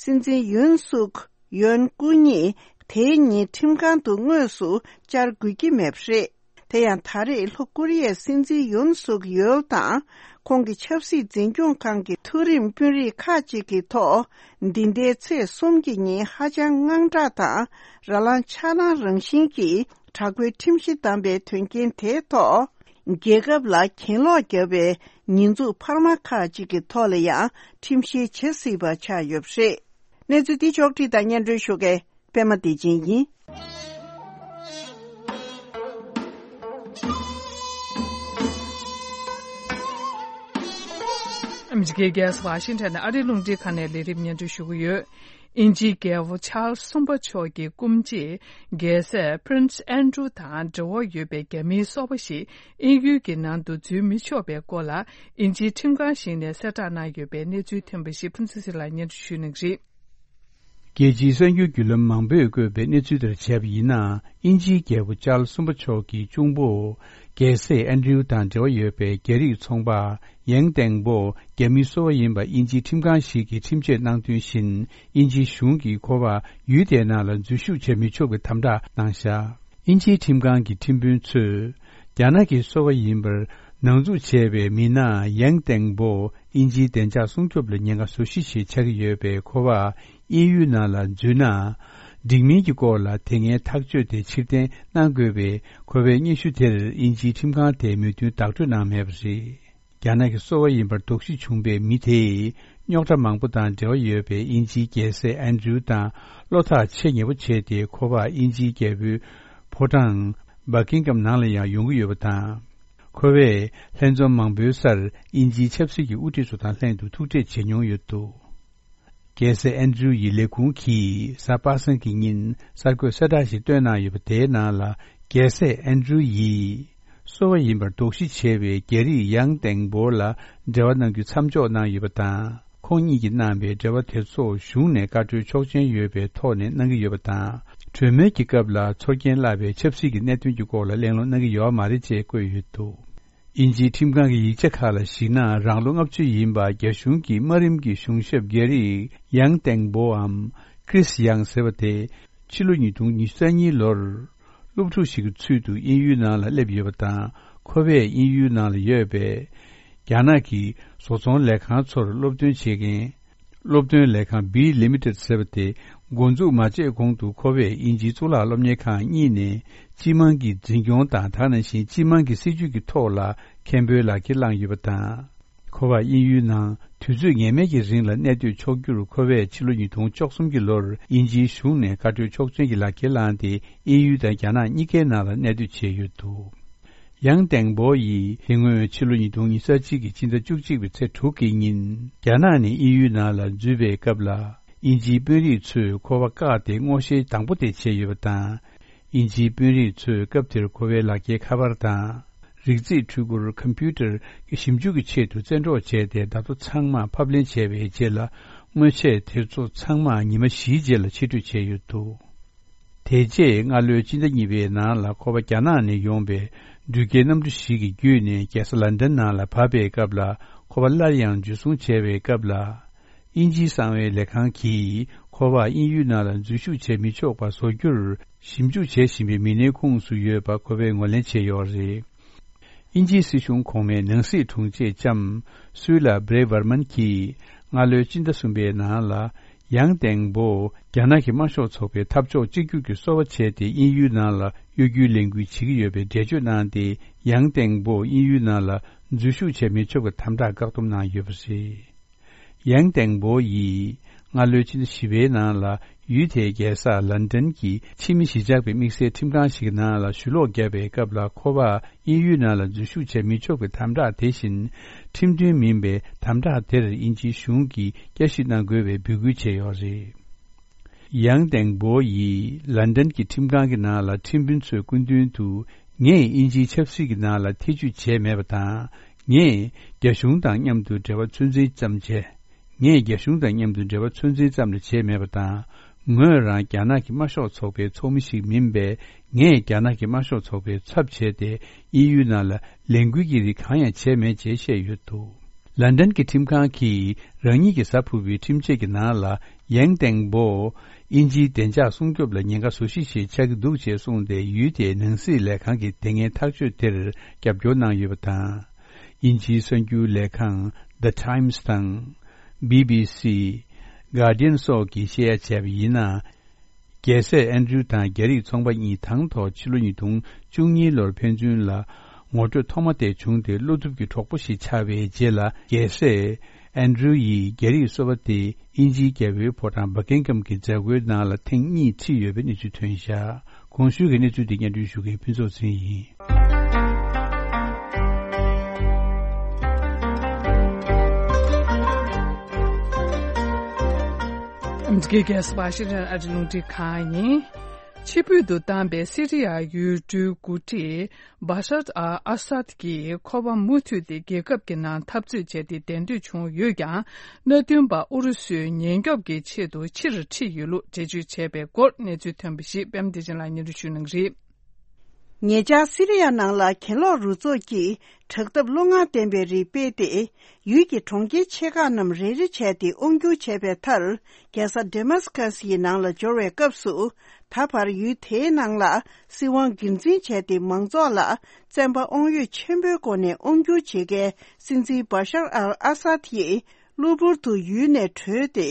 སྲིད་འཛིན་ཡོན་སུག་ཡོན་སྐུ་ཉིད་དེའི་ཉིན་ཁྲིམས་ཁང་དུ་དངོས་སུ་བཅར་དགོས་ཀྱི་མེད་པ་རེད། དེ་ཡང་ད་རེས་ལྷོ་ཀོ་རི་ཡའི་སྲིད་འཛིན་ཡོན་སུག་ཡོལ་དང་ཁོང་གི་ཆབ་སྲིད་འཛིན་སྐྱོང་ཁང་གི་མཐོ་རིམ་དཔོན་རིགས་ཁག་ཅིག་གི་ཐོག་འདི་ཟླའི་ཚེས་གསུམ་གྱི་ཉིན་ཧ་ཅང་དངངས་སྐྲག་དང་ར་ལངས་ཆག་ལངས་རང་བཞིན་གྱིས་དྲག་པོའི་ཁྲིམས་གཞི་བསྡམས་པའི་དོན་རྐྱེན་དེའི་ཐོག་རྒྱལ་ཁབ་ལ་གྱེན་ལོག་བརྒྱབ་པའི་ཉེས་འཛུགས་འཕར་མ་ཁག་ཅིག་གི་ཐོག་ལ་ཡང་ཁྲིམས་བཤེར་བྱེད་སྲིད་པ་ཆགས་ཡོད་པ་རེད། གནས་ཚུལ་འདི་ཕྱོགས་བསྒྲིགས་དང་སྙན་སྒྲོན་ཞུ་མཁན་པད་མ་བདེ་ཆེན་ཡིན། ཨ་མི་རི་ཀའི་རྒྱལ་ས་ཝ་ཤིང་ཊོན་ནས་ཨ་རིའི་རླུང་འཕྲིན་ཁང་ནས་ལས་རིམ་སྙན་སྒྲོན་ཞུ་གི་ཡོད། དབྱིན་ཇིའི་རྒྱལ་པོ་ཆཱལ་སི་གསུམ་པ་མཆོག་གི་སྐུ་མཆེད་རྒྱལ་སྲས་Prince Andrew དང་འབྲེལ་བ་ཡོད་པའི་རྒྱ་མིའི་སོ་པ་ཞིག་དབྱིན་ཡུལ་གྱི་ནང་དུ་འཛུལ་མི་ཆོག་པའི་སྐོར་ལ་དབྱིན་ཇིའི་ཁྲིམས་ཁང་ཞིག་ནས་གསལ་བསྒྲགས་གནང་ཡོད་པའི་གནས་ཚུལ་ཐོན་པ་ཞིག་ཕུན་ཚོགས་ཚེ་རིང་ལགས་སྙན་སྒྲོན་ཞུ་གནང་གི་རེད། རྒྱལ་སྤྱིའི་གསར་འགྱུར་བརྒྱུད་ལམ་མང་པོས་བཀོད་པའི་གནས་ཚུལ་ལྟར་བྱས་པ་ཡིན་ན། དབྱིན་ཇིའི་རྒྱལ་པོ་ཅཱལ་སི་གསུམ་པ་མཆོག་གི་གཅུང་པོ་རྒྱལ་སྲས་ཨན་ཌྲིའུ་དང་འབྲེལ་བ་ཡོད་པའི་རྒྱ་རིགས་ཚོང་པ་ཡེང་ཏེང་པོ་རྒྱ་མིའི་སོ་པ་ཡིན་པ་དབྱིན་ཇིའི་ཁྲིམས་ཁང་ཞིག་གིས་ཁྲིམས་བཅད་གནང་དོན་བཞིན། དབྱིན་ཇིའི་གཞུང་གིས་ཁོ་པ་ཡུལ་དེའི་ནང་ལ་འཛུལ་ཞུགས་བྱེད་མི་ཆོག་པའི་དམ་དྲག་གནང་བཞག། དབྱིན་ཇིའི་ཁྲིམས་ཁང་གི་ཁྲིམས་དཔོན་ཚོས། རྒྱ་ནག་གི་སོ་པ་ཡིན་པར་ནང་འཛུལ་བྱས་པའི་མི་སྣ་ཡེང་ཏེང་པོ་དབྱིན་ཇིའི་བདེ་འཇགས་སྲུང་སྐྱོབ་ལ་ཉེན་ཁ་བཟོ་གཞི་ཞིག་ཆགས་ཀྱི་ཡོད་པས། ཁོ་པ་དབྱིན་ཡུལ་ནང་ལ་འཛུལ་ན། འགྲིག་མིན་གྱི་སྐོར་ལ་དེ་སྔའི་ཐག་གཅོད་དེ་ཕྱིར་འཐེན་གནང་དགོས་པའི་ཁོ་པའི་སྙན་ཞུ་དེར་དབྱིན་ཇིའི་ཁྲིམས་ཁང་དེས་མོས་མཐུན་བདག་སྤྲོད་གནང་མེད་པ་རེད། རྒྱ་ནག་གི་སོ་པ་ཡིན་པར་དོགས་གཞི་བྱུང་བའི་མི་དེས་རྙོག་དྲ་མང་པོ་དང་འབྲེལ་བ་ཡོད་པའི་དབྱིན་ཇིའི་རྒྱལ་སྲས་ཨན་ཌྲུ་དང་བློ་ཐག་ཆེས་ཉེ་པོ་བྱས་ཏེ། ཁོ་པ་དབྱིན་ཇིའི་རྒྱལ་པོའི་ཕོ་བྲང་སྦ་ཀིང་གམ་ནང་ལ་ཡང་ཡོང་གི་ཡོད་པ་དང་། ཁོ་པས་ལྷན་འཛོམས་མང་པོའི་སར་དབྱིན་ཇིའི་ཆབ་སྲིད་ཀྱི་དབུ་ཁྲིད་ཚོ་དང་ལྷན་དུ་ཐུག་འཕྲད་བྱེད་མྱོང་ཡོད་འདུག་རྒྱལ་སྲས་ཨན་ཌྲུ་ཡི་ལས་ཁུངས་ཀྱིས་གཟའ་པ་སངས་ཀྱི་ཉིན་གསར་འགོད་གསལ་བསྒྲགས་ཤིག་བཏོན་གནང་ཡོད་པ། དེའི་ནང་ལ། རྒྱལ་སྲས་ཨན་ཌྲུ་ཡིས་སོ་པ་ཡིན་པར་དོགས་གཞི་བྱས་པའི་རྒྱ་རིགས་ཡང་ཏེང་པོ་ལ་འབྲེལ་བ་གནང་རྒྱུ་མཚམས་འཇོག་གནང་ཡོད་པ་དང་། ཁོང་གཉིས་ཀྱིས་གནང་པའི་འབྲེལ་བ་དེ་ཚོ་གཞུང་ནས་བཀའ་འཁྲོལ་ཆོག་མཆན་ཡོད་པའི་ཐོག་ནས་གནང་གི་ཡོད་པ་དང་། གྲོས་མོལ་གྱི་སྐབས་ལ་ཚོར་སྐྱེན་བརླག་པའི་ཆབ་སྲིད་ཀྱི་གནད་དོན་གྱི་སྐོར་ལ་གླེང་སློང་གནང་གི་ཡོད་མ་རེད་ཅེས་བཀོད་ཡོད་འདུག་དབྱིན་ཇིའི་ཁྲིམས་ཁང་གི་ཡིག་ཆ་ཁག་ལ་གཞིགས་ན། རང་ལོ་ལྔ་བཅུ་ཡིན་པ་རྒྱ་གཞུང་གི་དམའ་རིམ་གྱི་གཞུང་ཞབས་རྒྱ་རིགས་ཡང་ཏེང་པོའམ་ཀྲིས་ཡང་ཟེར་བ་དེ། ཕྱི་ལོ་ཉིས་སྟོང་ཉི་ཤུ་རྩ་གཉིས་ལོར་སློབ་ཕྲུག་ཞིག་གི་ཚུལ་དུ་དབྱིན་ཡུལ་ནང་ལ་སླེབས་ཡོད་པ་དང་། ཁོ་པས་དབྱིན་ཡུལ་ནང་ལ་ཡོད་པའི་རྒྱ་ནག་གི་བཟོ་ཚོང་ལས་ཁང་ཚོར་སློབ་སྟོན་བྱེད་མཁན། སློབ་སྟོན་ལས་ཁང་B Limited ཟེར་བ་དེ་འགོ་འཛུགས་མ་བྱས་གོང་དུ། ཁོ་པས་དབྱིན་ཇིའི་གཙུག་ལག་སློབ་གཉེར་ཁང་གཉིས་ནས་སྤྱི་དམངས་ཀྱི་འཛིན་སྐྱོང་དང་། དེ་ནང་བཞིན་སྤྱི་དམངས་ཀྱི་སྲིད་ཇུས་ཀྱི་ཐོག་ལ་མཁན་པོའི་ལག་འཁྱེར་བླངས་ཡོད་པ་དང་། ཁོ་པ་དབྱིན་ཡུལ་ནང་དུས་ཚོད་ངེས་མེད་ཀྱི་རིང་ལ་གནས་སྡོད་ཆོག་རྒྱུར། ཁོ་པས་ཕྱི་ལོ་ཉིས་སྟོང་བཅུ་གསུམ་གྱི་ལོར་དབྱིན་ཇིའི་གཞུང་ནས་བཀའ་འཁྲོལ་ཆོག་མཆན་གྱི་ལག་འཁྱེར་བླངས་ཏེ། དབྱིན་ཡུལ་དང་རྒྱ་ནག་གཉིས་ཀའི་ནང་ལ་གནས་སྡོད་བྱས་ཡོད་འདུག་ཡང་ཏེང་པོ་ཡིས་དེ་སྔོན་ཕྱི་ལོ་ཉིས་སྟོང་ཉི་ཤུ་རྩ་གཅིག་གི་སྤྱི་ཟླ་བཅུ་གཅིག་པའི་ཚེས་དྲུག་གི་ཉིན། རྒྱ་ནག་ནས་དབྱིན་ཡུལ་ནང་ལ་འཛུལ་བའི་སྐབས་ལ། དབྱིན་ཇིའི་དཔོན་རིགས་ཚོས་ཁོ་པ་བཀག་སྟེ་སྔོག་བཤེར་དང་པོ་དེ་བྱས་ཡོད་པ་དང་། དབྱིན་ཇིའི་དཔོན་རིགས་ཚོས་སྐབས་དེར་ཁོ་པའི་ལག་འཁྱེར་ཁ་པར་དང་། རིག་རྩིས་འཕྲུལ་འཁོར་ཀམ་པུ་ཊར་གྱི་ཞིབ་འཇུག་གི་ཆེད་དུ་བཙན་འཕྲོག་བྱས་ཏེ། བརྡ་ཐོ་ཚང་མ་ཕབ་ལེན་བྱས་པའི་རྗེས་ལ། དངོས་ཆས་དེ་ཚོ་ཚང་མ་ཉི་མ་བཞིའི་རྗེས་ལ་ཕྱིར་སྤྲོད་བྱས་ཡོད་འདུག་དེ་རྗེས་སྔ་ལོའི་སྤྱི་ཟླ་གཉིས་པའི་ནང་ལ། ཁོ་པ་རྒྱ་ནག་ནས་ཡོང་པའི་འགྲུལ་སྐྱེལ་གནམ་གྲུ་ཞིག་གི་བརྒྱུད་ནས་རྒྱལ་ས་ལན་ཌན་ནང་ལ་བབས་པའི་སྐབས་ལ། ཁོ་པ་སླར་ཡང་འཇུ་བཟུང་བྱས་པའི་སྐབས་ལ། དབྱིན་ཇིའི་གསང་བའི་ལས་ཁང་གིས་ཁོ་པ་དབྱིན་ཡུལ་ནང་ལ་འཛུལ་ཞུགས་བྱེད་མི་ཆོག་པ་བཟོ་རྒྱུར་ཞིབ་འཇུག་བྱེད་བཞིན་པའི་མི་སྣའི་ཁོངས་སུ་ཡོད་པ་ཁོ་པས་ངོས་ལེན་བྱས་ཡོད་རེད། དབྱིན་ཇིའི་སྲིད་གཞུང་གོང་མའི་ནང་སྲིད་དྲུང་ཆེ་ལྕམ་སུའི་ལ་བྷྲེ་ཝར་མན་གྱིས་སྔ་ལོའི་སྤྱི་ཟླ་གསུམ་པའི་ནང་ལ། ཡང་ཏེང་པོ་རྒྱ་ནག་གི་དམར་ཤོག་ཚོགས་པའི་འཐབ་ཕྱོགས་གཅིག་གྱུར་གྱི་སོ་པ་བྱས་ཏེ། དབྱིན་ཡུལ་ནང་ལ་གཡོ་སྒྱུའི་ལས་འགུལ་བྱེད་ཀྱི་ཡོད་པའི་འགྲེལ་བརྗོད་གནང་སྟེ། ཡང་ཏེང་པོ་དབྱིན་ཡུལ་ནང་ལ་འཛུལ་ཞུགས་བྱེད་མི་ཆོག་པའི་དམ་དྲག་བཀག་སྡོམ་གནང་ཡོད་པ་རེད། ཡང་ཏེང་པོ་ཡིས་སྔ་ལོའི་ཕྱི་ཟླ་བཞི་པའི་ནང་ལ། ཡུལ་དེའི་རྒྱལ་ས་ལན་ཌན་གྱི་ཕྱི་མི་གཞིས་ཆགས་པའི་དམིགས་བསལ་ཁྲིམས་ཁང་ཞིག་གི་ནང་ལ་ཞུ་ལོག་བརྒྱབ་པའི་སྐབས་ལ། ཁོ་པ་དབྱིན་ཡུལ་ནང་ལ་འཛུལ་ཞུགས་བྱེད་མི་ཆོག་པའི་དམ་དྲག་དེ་བཞིན། ཁྲིམས་མཐུན་མིན་པའི་དམ་དྲག་དེར་དབྱིན་ཇིའི་གཞུང་གིས་བསྐྱར་ཞིབ་གནང་དགོས་པའི་འབོད་སྐུལ་བྱས་ཡོད་རེད། ཡང་ཏེང་པོ་ཡིས་ལན་ཌན་གྱི་ཁྲིམས་ཁང་གི་ནང་ལ་ཁྲིམས་དཔོན་ཚོའི་སྐུ་མདུན་དུ། ངས་དབྱིན་ཇིའི་ཆབ་སྲིད་ཀྱི་ནང་ལ་ཐེ་ཇུས་བྱས་མེད་པ་དང་། ངས་རྒྱ་གཞུང་དང་མཉམ་དུ་འབྲེལ་བ་ཚོད་འཛིན་ཙམ་བྱས། ངས་རྒྱ་གཞུང་དང་མཉམ་དུ་འབྲེལ་བ་ཚོད་འཛིན་ཙམ་ལས་བྱས་མེད་པ་དང་། ངོས་རང་རྒྱ་ནག་གི་དམར་ཤོག་ཚོགས་པའི་ཚོགས་མི་ཞིག་མིན་པས། ངས་རྒྱ་ནག་གི་དམར་ཤོག་ཚོགས་པའི་ཚབ་བྱས་ཏེ། དབྱིན་ཡུལ་ནང་ལ་ལས་འགུལ་གྱི་རིགས་གང་ཡང་བྱས་མེད་ཅེས་བཤད་ཡོད་འདུག་ལན་ཌན་གྱི་ཁྲིམས་ཁང་གིས་རང་ཉིད་ཀྱི་གཟའ་ཕུར་བུའི་ཁྲིམས་ཆད་ཀྱི་ནང་ལ། ཡང་ཏེང་པོ་དབྱིན་ཇིའི་བདེ་འཇགས་སྲུང་སྐྱོབ་ལ་ཉེན་ཁ་བཟོ་གཞི་ཞིག་ཆགས་ཀྱི་འདུག་ཅེས་གསུངས་ཏེ། ཡུལ་དེའི་ནང་སྲིད་ལས་ཁང་གིས་དེ་སྔའི་ཐག་གཅོད་དེར་རྒྱབ་སྐྱོར་གནང་ཡོད་པ་དང་། དབྱིན་ཇིའི་གསར་འགྱུར་ལས་ཁང་The Times དང་། B B C། Guardian སོགས་ཀྱིས་བཤད་ཡ་བྱས་པ་ཡིན་ན། རྒྱལ་སྲས་ཨན་ཌྲུ་དང་རྒྱ་རིགས་ཚོང་པ་གཉིས་དང་ཐོག་ཕྱི་ལོ་ཉིས་སྟོང་བཅུ་གཉིས་ལོར་ཕན་ཚུན་ལ་ངོ་སྤྲོད་ཐོག་མ་དེ་བྱུང་སྟེ། བློ་ཐུབ་ཀྱི་གྲོགས་པོ་ཞིག་ཆགས་པའི་རྗེས་ལ། རྒྱལ་སྲས་ཨན་ཌྲུ་ཡིས་རྒྱ་རིགས་སོ་པ་དེ་དབྱིན་ཇིའི་རྒྱལ་པོའི་ཕོ་བྲང་བྷ་ཀིང་ཧམ་གྱི་མཛད་སྒོའི་ནང་ལ་ཐེངས་གཉིས་ཁྲིད་ཡོད་པའི་གནས་ཚུལ་ཐོན་བཞག་གོང་ཞུས་ཀྱི་གནས་ཚུལ་འདི་སྙན་སྒྲོན་ཞུ་མཁན་ཕུན་ཚོགས་ཚེ་རིང་ཡིན། ཨ་མི་རི་ཀའི་རྒྱལ་ས་ཝ་ཤིང་ཊོན་ཨ་རི་རླུང་འཕྲིན་ཁང་ཡིན། ཕྱིར་འབུད་དུ་བཏང་པའི་སི་རི་ཡ་ཡུལ་གྲུའི་འགོ་ཁྲིད་བྷ་ཤར་ཨལ་ཨ་སཱད་ཀྱིས་ཁོ་པ་མུ་མཐུད་དེ་རྒྱལ་ཁབ་ཀྱི་ནང་འཐབ་རྩོད་བྱས་ཏེ་གདན་འདྲེན་བྱུང་ཡོད་ཀྱང་། མནའ་མཐུན་པ་ཨུ་རུ་སུའི་ཉེན་སྐྱོབ་ཀྱི་ཆེད་དུ་ཕྱིར་ཁྲིད་ཡོད་ལུགས་འགྲེལ་བརྗོད་བྱས་པའི་སྐོར་གནས་ཚུལ་ཐོན་པ་ཞིག་པད་མ་བདེ་ཆེན་ལགས་སྙན་སྒྲོན་ཞུ་གནང་གི་རེད། ཉེ་ཆར་སི་རི་ཡ་ནང་ལ་གྱེན་ལོག་རུ་ཚོགས་ཀྱིས་དྲག་འཐབ་བློ་ངར་ལྡན་པའི་རིགས་སྤེལ་ཏེ། ཡུལ་གྱི་གྲོང་ཁྱེར་ཆེ་ཁག་རྣམས་རེ་རེ་བྱས་ཏེ་དབང་བསྒྱུར་བྱས་པའི་མཐར། རྒྱལ་ས་ཌེ་མཱ་སི་ཀ་སི་ཡི་ནང་ལ་འབྱོར་བའི་སྐབས་སུ། ད་བར་ཡུལ་དེའི་ནང་ལ་སྲིད་དབང་སྒེར་འཛིན་བྱས་ཏེ། མང་ཚོགས་ལ་བཙན་པ་དབང་ཡོད་ཆེན་པོའི་སྒོ་ནས་དབང་བསྒྱུར་བྱེད་མཁན་སྲིད་འཛིན་བྷ་ཤར་ཨལ་ཨ་སཱད་ཡིས་གློ་བུར་དུ་ཡུལ་ནས་བྲོས་ཏེ།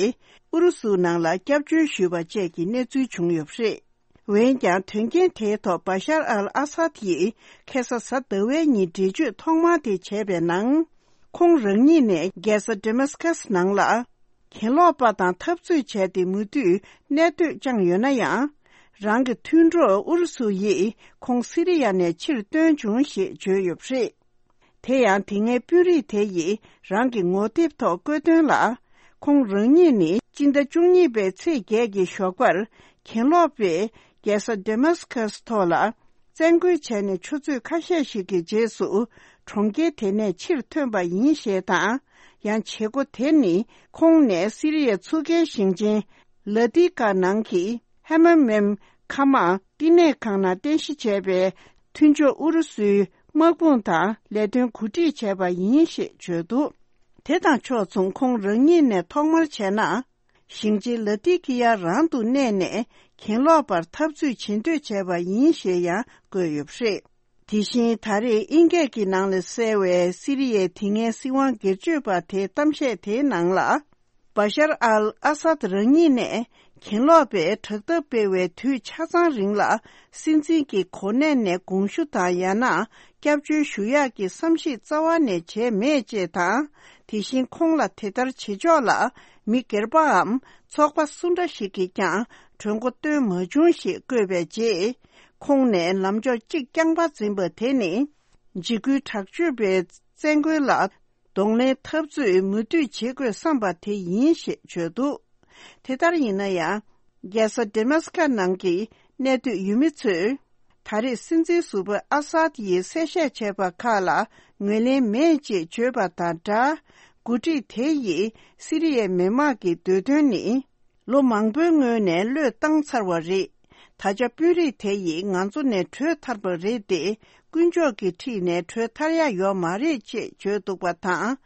ཨུ་རུ་སུའི་ནང་ལ་སྐྱབས་བཅོལ་ཞུས་པ་བཅས་ཀྱི་གནས་ཚུལ་བྱུང་ཡོད་པ་རེད། འོན་ཀྱང་། དོན་རྐྱེན་དེའི་ཐོག་བྷ་ཤར་ཨལ་ཨ་སཱད་ཡིས་ཁ་སང་གཟའ་ཟླ་བའི་ཉིན་འགྲེལ་བརྗོད་ཐོག་མ་དེ་བྱས་པའི་ནང་། ཁོང་རང་ཉིད་ནས་རྒྱལ་ས་ཌེ་མཱ་སི་ཀ་སི་ནང་ལ་གྱེན་ལོག་པ་དང་འཐབ་རྩོད་བྱས་ཏེ་མུ་མཐུད་གནས་སྡོད་བསྐྱངས་ཡོད་ན་ཡང་། རང་གི་མཐུན་གྲོགས་ཨུ་རུ་སུ་ཡིས་ཁོང་སི་རི་ཡ་ནས་ཕྱིར་བཏོན་བྱུང་ཞེས་བརྗོད་ཡོད་པ་རེད། དེ་ཡང་དེ་སྔའི་དཔོན་རིགས་དེ་ཡིས་རང་གི་ངོ་དེབ་ཐོག་བཀོད་དོན་ལ། ཁོང་རང་ཉིད་ནི་སྤྱི་ཟླ་བཅུ་གཉིས་པའི་ཚེས་བརྒྱད་ཀྱི་ཞོགས་པར་གྱེན་ལོག་པས་རྒྱལ་ས་ཌེ་མཱ་སི་ཀ་སི་ཐོག་ལ་བཙན་རྒོལ་བྱས་ནས་ཆུ་ཚོད་ཁ་ཤས་ཤིག་གི་རྗེས་སུ་གྲོང་ཁྱེར་དེ་ནས་ཕྱིར་ཐོན་པ་ཡིན་ཞེས་དང་། ཡང་བྱེད་སྒོ་དེ་ནི་ཁོང་ནས་སི་རི་ཡའི་ཚུགས་ཀའི་ཞིང་ཆེན་ལ་ཏི་ཀ་ནང་གི་ཧེ་མ་མེམ་མཁའ་དམག་བསྟི་གནས་ཁང་ནང་རྟེན་གཞི་བྱས་པའི་མཐུན་ཕྱོགས་ཨུ་རུ་སུའི་དམག་དཔུང་དང་ལས་དོན་གོ་སྒྲིག་བྱས་པ་ཡིན་ཞེས་བརྗོད་འདུག་དེ་དང་ཕྱོགས་མཚུངས་ཁོང་རང་ཉིད་ནས་ཐོག་མར་བྱས་ན། ཞིང་ཆེན་ལ་ཏི་ཀི་ཡ་རང་དུ་གནས་ནས་གྱེན་ལོག་པར་འཐབ་རྩོད་བྱེད་འདོད་བྱས་པ་ཡིན་ཞེས་ཡང་བཀོད་ཡོད་པ་རེད། དེ་བཞིན་ད་རེས་དབྱིན་སྐད་ཀྱི་ནང་ལ་གསལ་བའི་སི་རི་ཡའི་དེ་སྔའི་སྲིད་དབང་སྒེར་གཅོད་པ་དེའི་གཏམ་བཤད་དེའི་ནང་ལ། བ་ཤར་ཨལ་ཨ་སཱད་རང་ཉིད་ནས་གྱེན་ལོག་པས་དྲག་འཐབ་སྤེལ་བའི་དུས་ཆ་ཚང་རིང་ལ་སྲིད་འཛིན་གྱི་གོ་གནས་ནས་དགོངས་ཞུ་དང་ཡང་ན་སྐྱབས་བཅོལ་ཞུ་ཡག་གི་བསམ་གཞིག་རྩ་བ་ནས་བྱས་མེད་ཅེས་དང་། དེ་བཞིན་ཁོང་ལ་དེ་ལྟར་བྱེད་ཕྱོགས་ལ་མི་སྒེར་པའམ་ཚོགས་པ་སུ་འདྲ་ཞིག་གིས་ཀྱང་གྲོས་འགོ་བཏོན་མ་བྱུང་ཞེས་བཀོད་པའི་རྗེས། ཁོང་ནས་ལམ་ཕྱོགས་གཅིག་རྐྱང་པ་འཛིན་པ་དེ་ནི་འཇིགས་སྐུལ་དྲག་སྤྱོད་པའི་བཙན་རྒོལ་ལ་གདོང་ལེན་འཐབ་རྩོད་མུ་མཐུད་བྱེད་དགོས་བསམ་པ་དེ་ཡིན་ཞེས་བརྗོད་འདུག་དེ་ལྟར་ཡིན་ན་ཡང་། རྒྱལ་ས་ཌེ་མཱ་སི་ཀ་ནང་གི་གནས་སྡོད་ཡུལ་མི་ཚོས། ད་རེས་སྲིད་འཛིན་ཟུར་པ་ཨ་སཱད་ཡིས་གསལ་བཤད་བྱས་པ་ཁག་ལ་ངོས་ལེན་མེད་ཅེས་བརྗོད་པ་དང་སྦྲགས། འགོ་ཁྲིད་དེ་ཡིས་སི་རི་ཡའི་མི་དམངས་ཀྱི་འདོད་དོན་ནི། ལོ་མང་པོའི་སྔོན་ནས་བློས་བཏང་ཚར་བ་རེད། ད་ཆ་དཔོན་རིགས་དེ་ཡིས་ང་ཚོ་ནས་བྲོས་ཐར་པ་རེད་དེ། དཀོན་མཆོག་གི་འཁྲིས་ནས་བྲོས་ཐར་ཡ་ཡོད་མ་རེད་ཅེས་བརྗོད་འདུག་པ་དང་།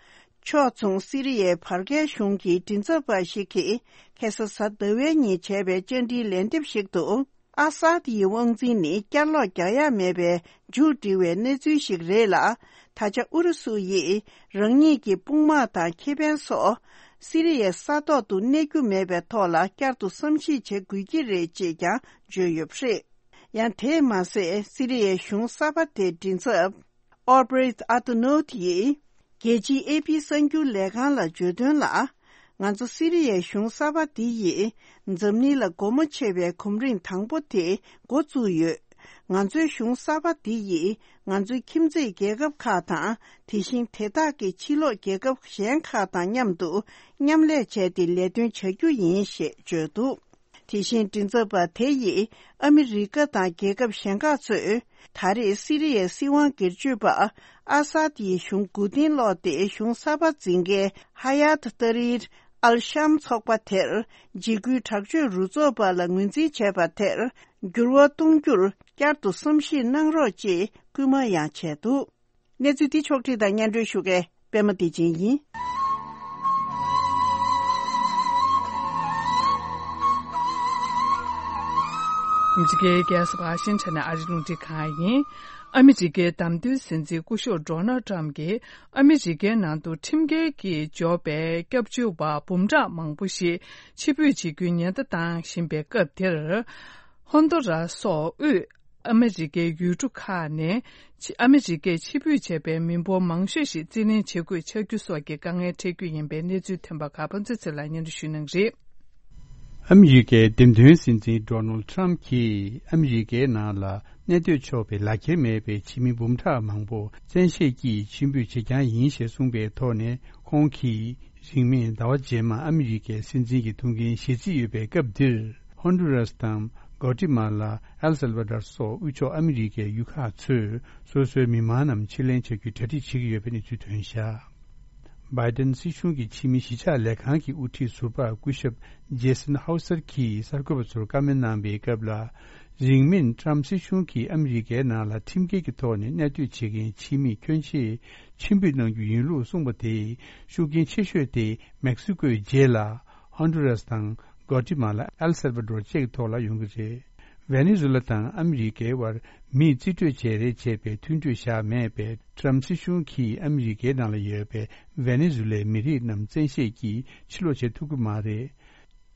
ཕྱོགས་མཚུངས་སི་རི་ཡའི་བར་བརྒལ་གཞུང་གི་མགྲིན་ཚབ་པ་ཞིག་གིས་ཁ་སང་གཟའ་ཟླ་བའི་ཉིན་བྱས་པའི་བཅར་འདྲིའི་ལན་འདེབས་ཤིག་ཏུ། ཨ་སཱད་ཡི་དབང་འཛིན་ནི་བསྐྱར་ལོག་རྒྱག་ཡ་མེད་པའི་མཇུག་སྒྲིལ་བའི་གནས་ཚུལ་ཞིག་རེད་ལ། ད་ཆ་ཨུ་རུ་སུ་ཡིས་རང་ཉིད་ཀྱི་དཔུང་དམག་དང་ཁེ་ཕན་སོགས་སི་རི་ཡའི་ས་ཐོག་ཏུ་གནས་རྒྱུ་མེད་པའི་ཐོག་ལ་བསྐྱར་དུ་བསམ་གཞིག་བྱེད་དགོས་ཀྱི་རེད་ཅེས་ཀྱང་བརྗོད་ཡོད་པ་རེད། ཡང་དེས་མ་ཟད་སི་རི་ཡའི་གཞུང་གསར་པ་དེའི་མགྲིན་ཚབ། ཨོ་བྷི་རིད་ཨ་ཏུ་ནོད་ཡིས། རྒྱལ་སྤྱིའི་ཨེ་པི་གསར་འགྱུར་ལས་ཁང་ལ་བརྗོད་དོན་ལ། ང་ཚོ་སི་རི་ཡའི་གཞུང་གསར་པ་འདི་ཡིས་འཛམ་གླིང་ལ་སྒོ་མོ་ཕྱེ་བའི་གོམ་རིམ་དང་པོ་དེ་འགོ་བཙུགས་ཡོད། ང་ཚོའི་གཞུང་གསར་པ་འདི་ཡིས་ང་ཚོའི་ཁྱིམ་མཚེས་རྒྱལ་ཁབ་ཁག་དང་དེ་བཞིན་དེ་དག་གི་ཕྱི་ལོགས་རྒྱལ་ཁབ་གཞན་ཁག་དང་མཉམ་དུ་མཉམ་ལས་བྱས་ཏེ་ལས་དོན་བྱ་རྒྱུ་ཡིན་ཞེས་བརྗོད་འདུག་དེ་བཞིན་མགྲིན་ཚབ་པ་དེ་ཡིས་ཨ་མི་རི་ཀ་དང་རྒྱལ་ཁབ་གཞན་ཁག་ཚོས་ད་རེས་སི་རི་ཡའི་སྲིད་དབང་སྒེར་གཅོད་པ་ཨ་སཱད་ཡི་གཞུང་མགོ་རྟིང་སློག་སྟེ་གཞུང་གསར་པ་འཛིན་མཁན་ཧ་ཡཱད་ཏཱ་རིར་ཨལ་ཤམ་ཚོགས་པ་དེར་འཇིགས་སྐུལ་དྲག་སྤྱོད་རུ་ཚོགས་པ་ལ་ངོས་འཛིན་བྱས་པ་དེར་འགྱུར་བ་གཏོང་རྒྱུར་བསྐྱར་དུ་བསམ་གཞིག་གནང་རོགས་ཅེས་སྐུལ་མ་ཡང་བྱས་འདུག་གནས་ཚུལ་འདི་ཕྱོགས་བསྒྲིགས་དང་སྙན་སྒྲོན་ཞུ་མཁན་པད་མ་བདེ་ཆེན་ཡིན། ཨ་མི་རི་ཀའི་རྒྱལ་ས་ཝ་ཤིང་ཊོན་ནས་ཨ་རིའི་རླུང་འཕྲིན་ཁང་ཡིན། ཨ་མི་རི་ཀའི་བདམས་ཐོན་སྲིད་འཛིན་སྐུ་ཞབས་ཌོ་ནལ་ཊམ་གྱིས་ཨ་མི་རི་ཀའི་ནང་དུ་ཁྲིམས་འགལ་གྱིས་འབྱོར་པའི་སྐྱབས་བཅོལ་བ་འབུམ་ཕྲག་མང་པོ་ཞིག་ཕྱིར་འབུད་བྱེད་རྒྱུའི་ཉེན་བརྡ་བཏང་བཞིན་པའི་སྐབས་དེར། ཧོན་ཏུ་ར་སོགས་དབུས་ཨ་མི་རི་ཀའི་ཡུལ་གྲུ་ཁག་ནས་ཕྱི་ཨ་མི་རི་ཀས་ཕྱིར་འབུད་བྱས་པའི་མི་འབོར་མང་ཤོས་ཤིག་རྩིས་ལེན་བྱེད་དགོས་ཆགས་རྒྱུ་སོགས་ཀྱི་དཀའ་ངལ་འཕྲད་རྒྱུ་ཡིན་པའི་གནས་ཚུལ་ཐོན་པ་ཁག་ཕན་ཚུན་ཚོད་ལ་སྙན་སྒྲོན་ཞུ་གནང་གི་རེད། ཨ་མི་རི་ཀའི་འདེམས་ཐོན་སྲིད་འཛིན་ཌོ་ནལ་ཊམ་གྱིས་ཨ་མི་རི་ཀའི་ནང་ལ་གནས་སྡོད་ཆོག་པའི་ལག་འཁྱེར་མེད་པའི་ཕྱི་མི་འབུམ་ཕྲག་མང་པོ་བཙན་ཤེད་ཀྱིས་ཕྱིར་འབུད་བྱེད་རྐྱང་ཡིན་ཞེས་གསུངས་པའི་ཐོག་ནས། ཁོང་གིས་རིང་མིན་ཟླ་བ་རྗེས་མ་ཨ་མི་རི་ཀའི་སྲིད་འཛིན་གྱི་ཐུགས་འགན་བཞེས་རྩིས་ཡོད་པའི་སྐབས་འདིར། ཧོན་ཌུ་རཱས་དང་། གོ་ཏི་མ་ལ། ཨེལ་སལ་ཝ་ཌོར་སོགས་དབུས་ཕྱོགས་ཨ་མི་རི་ཀའི་ཡུལ་ཁག་ཚོས་སོ་སོའི་མི་མང་རྣམས་ཕྱིར་ལེན་བྱ་རྒྱུའི་གྲ་སྒྲིག་བྱེད་ཀྱི་ཡོད་པའི་གནས་ཚུལ་ཐོན་བཞག་བྷའི་ཏན་སྲིད་གཞུང་གི་ཕྱི་མི་གཞིས་ཆགས་ལས་ཁང་གི་དབུ་ཁྲིད་ཟུར་པ་སྐུ་ཞབས་ཇེ་སན་ཧའུ་སར་གྱིས་གསར་འགོད་པ་ཚོར་བཀའ་མོལ་གནང་པའི་སྐབས་ལ། རིང་མིན་ཊམ་སྲིད་གཞུང་གིས་ཨ་མི་རི་ཀའི་ནང་ལ་ཁྲིམས་འགལ་གྱི་ཐོག་ནས་གནས་སྡོད་བྱེད་མཁན་ཕྱི་མི་ཁྱོན་ཆེ་ཕྱིར་འབུད་གནང་རྒྱུ་ཡིན་ལུགས་གསུངས་པ་དེས་ཤུགས་རྐྱེན་ཆེ་ཤོས་དེ་མེག་སི་ཀོའི་རྗེས་ལ་ཧོན་ཌུ་རཱས་དང་། གོ་ཏི་མ་ལ། ཨེལ་སལ་ཝ་ཌོར་བཅས་ཀྱི་ཐོག་ལ་ཡོང་གི་རེད། ཝེ་ནེ་ཛུ་ལ་དང་ཨ་མི་རི་ཀའི་དབར་མིས་རྩིས་སྤྲོད་བྱས་རེད་ཅེས་པའི་མཐུན་གྲོས་བཞག་མེད་པས། ཊམ་སྲིད་གཞུང་གིས་ཨ་མི་རི་ཀའི་ནང་ལ་ཡོད་པའི་ཝེ་ནེ་ཛུ་ལའི་མི་རིགས་རྣམས་བཙན་ཤེད་ཀྱིས་ཕྱིར་ལོག་བྱེད་ཐུབ་ཀྱི་མ་རེད།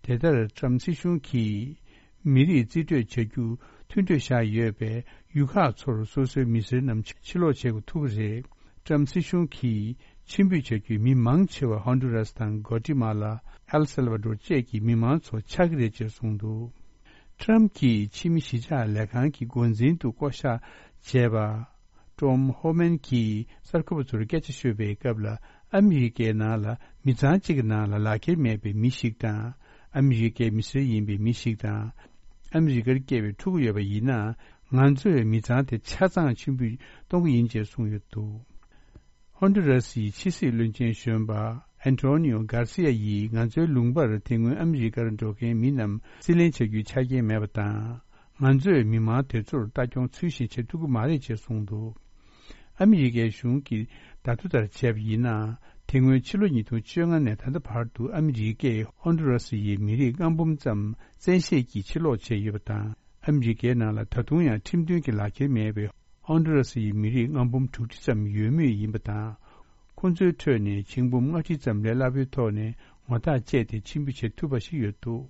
དེ་ལྟར་ཊམ་སྲིད་གཞུང་གིས་མི་རིགས་རྩིས་སྤྲོད་བྱ་རྒྱུ་མཐུན་གྲོས་བཞག་ཡོད་པས། ཡུལ་ཁག་ཚོར་སོ་སོའི་མི་སེར་རྣམས་ཕྱིར་ལོག་བྱེད་དགོས་ཐུག་པ་རེད། ཊམ་སྲིད་གཞུང་གིས་ ཕྱིར་འབུད་བྱ་རྒྱུའི་མི་མང་ཆེ་བ་ཧོན་ཌུ་རཱས་དང་གོ་ཏི་མ་ལ། ཨེལ་སེལ་ཝ་ཌོར་བཅས་ཀྱི་མི་མང་ཚོ་ཆགས་ཀྱི་རེད་ཅེས་གསུངས་འདུག། ཁྲམ་གྱིས་ཕྱི་མི་གཞིས་ཆགས་ལས་ཁང་གི་འགོ་འཛིན་དུ་བསྐོ་བཞག་བྱས་པ། ཀྲོམ་ཧོ་མན་གྱིས་གསར་འགོད་པ་ཚོར་སྐད་ཆ་ཤོད་པའི་སྐབས་ལ། ཨ་མི་རི་ཀའི་ནང་ལ་མི་ཚང་གཅིག་གི་ནང་ལ་ལག་འཁྱེར་མེད་པའི་མི་ཞིག་དང་། ཨ་མི་རི་ཀའི་མི་སེར་ཡིན་པའི་མི་ཞིག་དང་། ཨ་མི་རི་ཀར་སྐྱེས་པའི་ཕྲུ་གུ་ཡོད་པ་ཡིན་ན། ང་ཚོས་མི་ཚང་དེ་ཆ་ཚང་ཕྱིར་འབུད་གཏོང་གི་ཡིན་ཅེས་གསུངས་ཡོད་འདུག། ཧོན་ཌུ་ར་སིའི་ཕྱི་སྲིད་བློན་ཆེན་གཞོན་པ་ཨན་ཏོ་ནིའོ་གར་སི་ཡ་ཡིས། ང་ཚོའི་ལུང་པར་དེ་སྔོན་ཨ་མི་རི་ཀར་འགྲོ་མཁན་མི་རྣམས་རྩིས་ལེན་བྱ་རྒྱུའི་ཆ་རྐྱེན་མེད་པ་དང་། ང་ཚོས་མི་མང་དེ་ཚོར་ལྟ་སྐྱོང་ཚུལ་བཞིན་བྱེད་ཐུབ་ཀྱི་མ་རེད་ཅེས་གསུངས་འདུག། ཨ་མི་རི་ཀའི་གཞུང་གིས་བརྡ་ཐོ་ལྟར་བྱས་པ་ཡིན་ན། དེ་སྔོན་ཕྱི་ལོ་ཉིས་སྟོང་བཅོ་ལྔ་ནས་ད་ལྟ་བར་དུ་ཨ་མི་རི་ཀས་ཧོན་ཌུ་ར་སི་ཡི་མི་རིགས་ལྔ་འབུམ་ཙམ་བཙན་ཤེད་ཀྱིས་ཕྱིར་སློག་བྱས་ཡོད་པ་དང་། ཨ་མི་རི་ཀའི་ནང་ལ་ད་དུང་ཡང་ཁྲིམས་མཐུན་གྱི་ལག་འཁྱེར་མེད་པའི་ཧོན་ཌུ་ར་སི་ཡི་མི་རིགས་ལྔ་འབུམ་དྲུག་ཅུ་ཙམ་ཡོད་མུས་ཡིན་པ་དང་། ཁོང་ཚོའི་ཁྲོད་ནས་ཆིག་འབུམ་ལྔ་ཁྲི་ཙམ་ལས་སླ་པོའི་ཐོག་ནས་ངོ་ཐག་བཅད་དེ་ཕྱིར་འབུད་བྱེད་ཐུབ་པ་ཞིག་ཡོད་འདུག།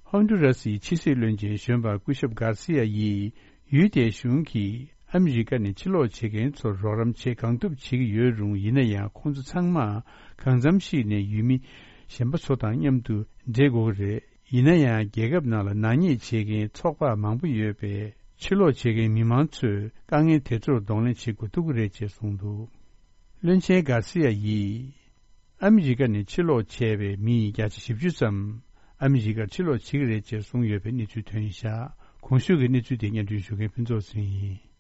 ཧོན་ཌུ་ར་སིའི་ཕྱི་སྲིད་བློན་ཆེན་གཞོན་པ་སྐུ་ཞབས་གར་སི་ཡ་ཡིས། ཡུལ་དེའི་གཞུང་གིས་ཨ་མི་རི་ཀ་ནས་ཕྱིར་སློག་བྱེད་མཁན་ཚོར་རོགས་རམ་བྱེད་གང་ཐུབ་བྱེད་ཀྱི་ཡོད་རུང་། ཡིན་ན་ཡང་ཁོང་ཚོ་ཚང་མ་གང་འཚམ་ཞིག་ནས་ཡུལ་མི་གཞན་པ་ཚོ་དང་མཉམ་དུ་འདྲེས་དགོས་ཀྱི་རེད། ཡིན་ན་ཡང་རྒྱལ་ཁབ་ནང་ལ་ནག་ཉེས་བྱེད་མཁན་ཚོགས་པ་མང་པོ་ཡོད་པས། ཕྱིར་སློག་བྱེད་མཁན་མི་མང་ཚོས་དཀའ་ངལ་དེ་ཚོར་གདོང་ལེན་བྱེད་དགོས་ཐུག་གི་རེད་ཅེས་གསུངས་འདུག། བློན་ཆེན་གར་སི་ཡ་ཡིས། ཨ་མི་རི་ཀ་ནས་ཕྱིར་སློག་བྱས་པའི་མི་བརྒྱ་ཆ་བཞི་བཅུ་ཙམ་ཨ་མི་རི་ཀར་ཕྱིར་སློག་བྱེད་ཀྱི་རེད་ཅེས་གསུངས་ཡོད་པའི་གནས་ཚུལ་ཐོན་བཞག། གོང་ཞུས་ཀྱི་གནས་ཚུལ་དེ་སྙན་སྒྲོན་ཞུ་མཁན་ཕུན་ཚོགས་ཚེ་རིང་ཡིན།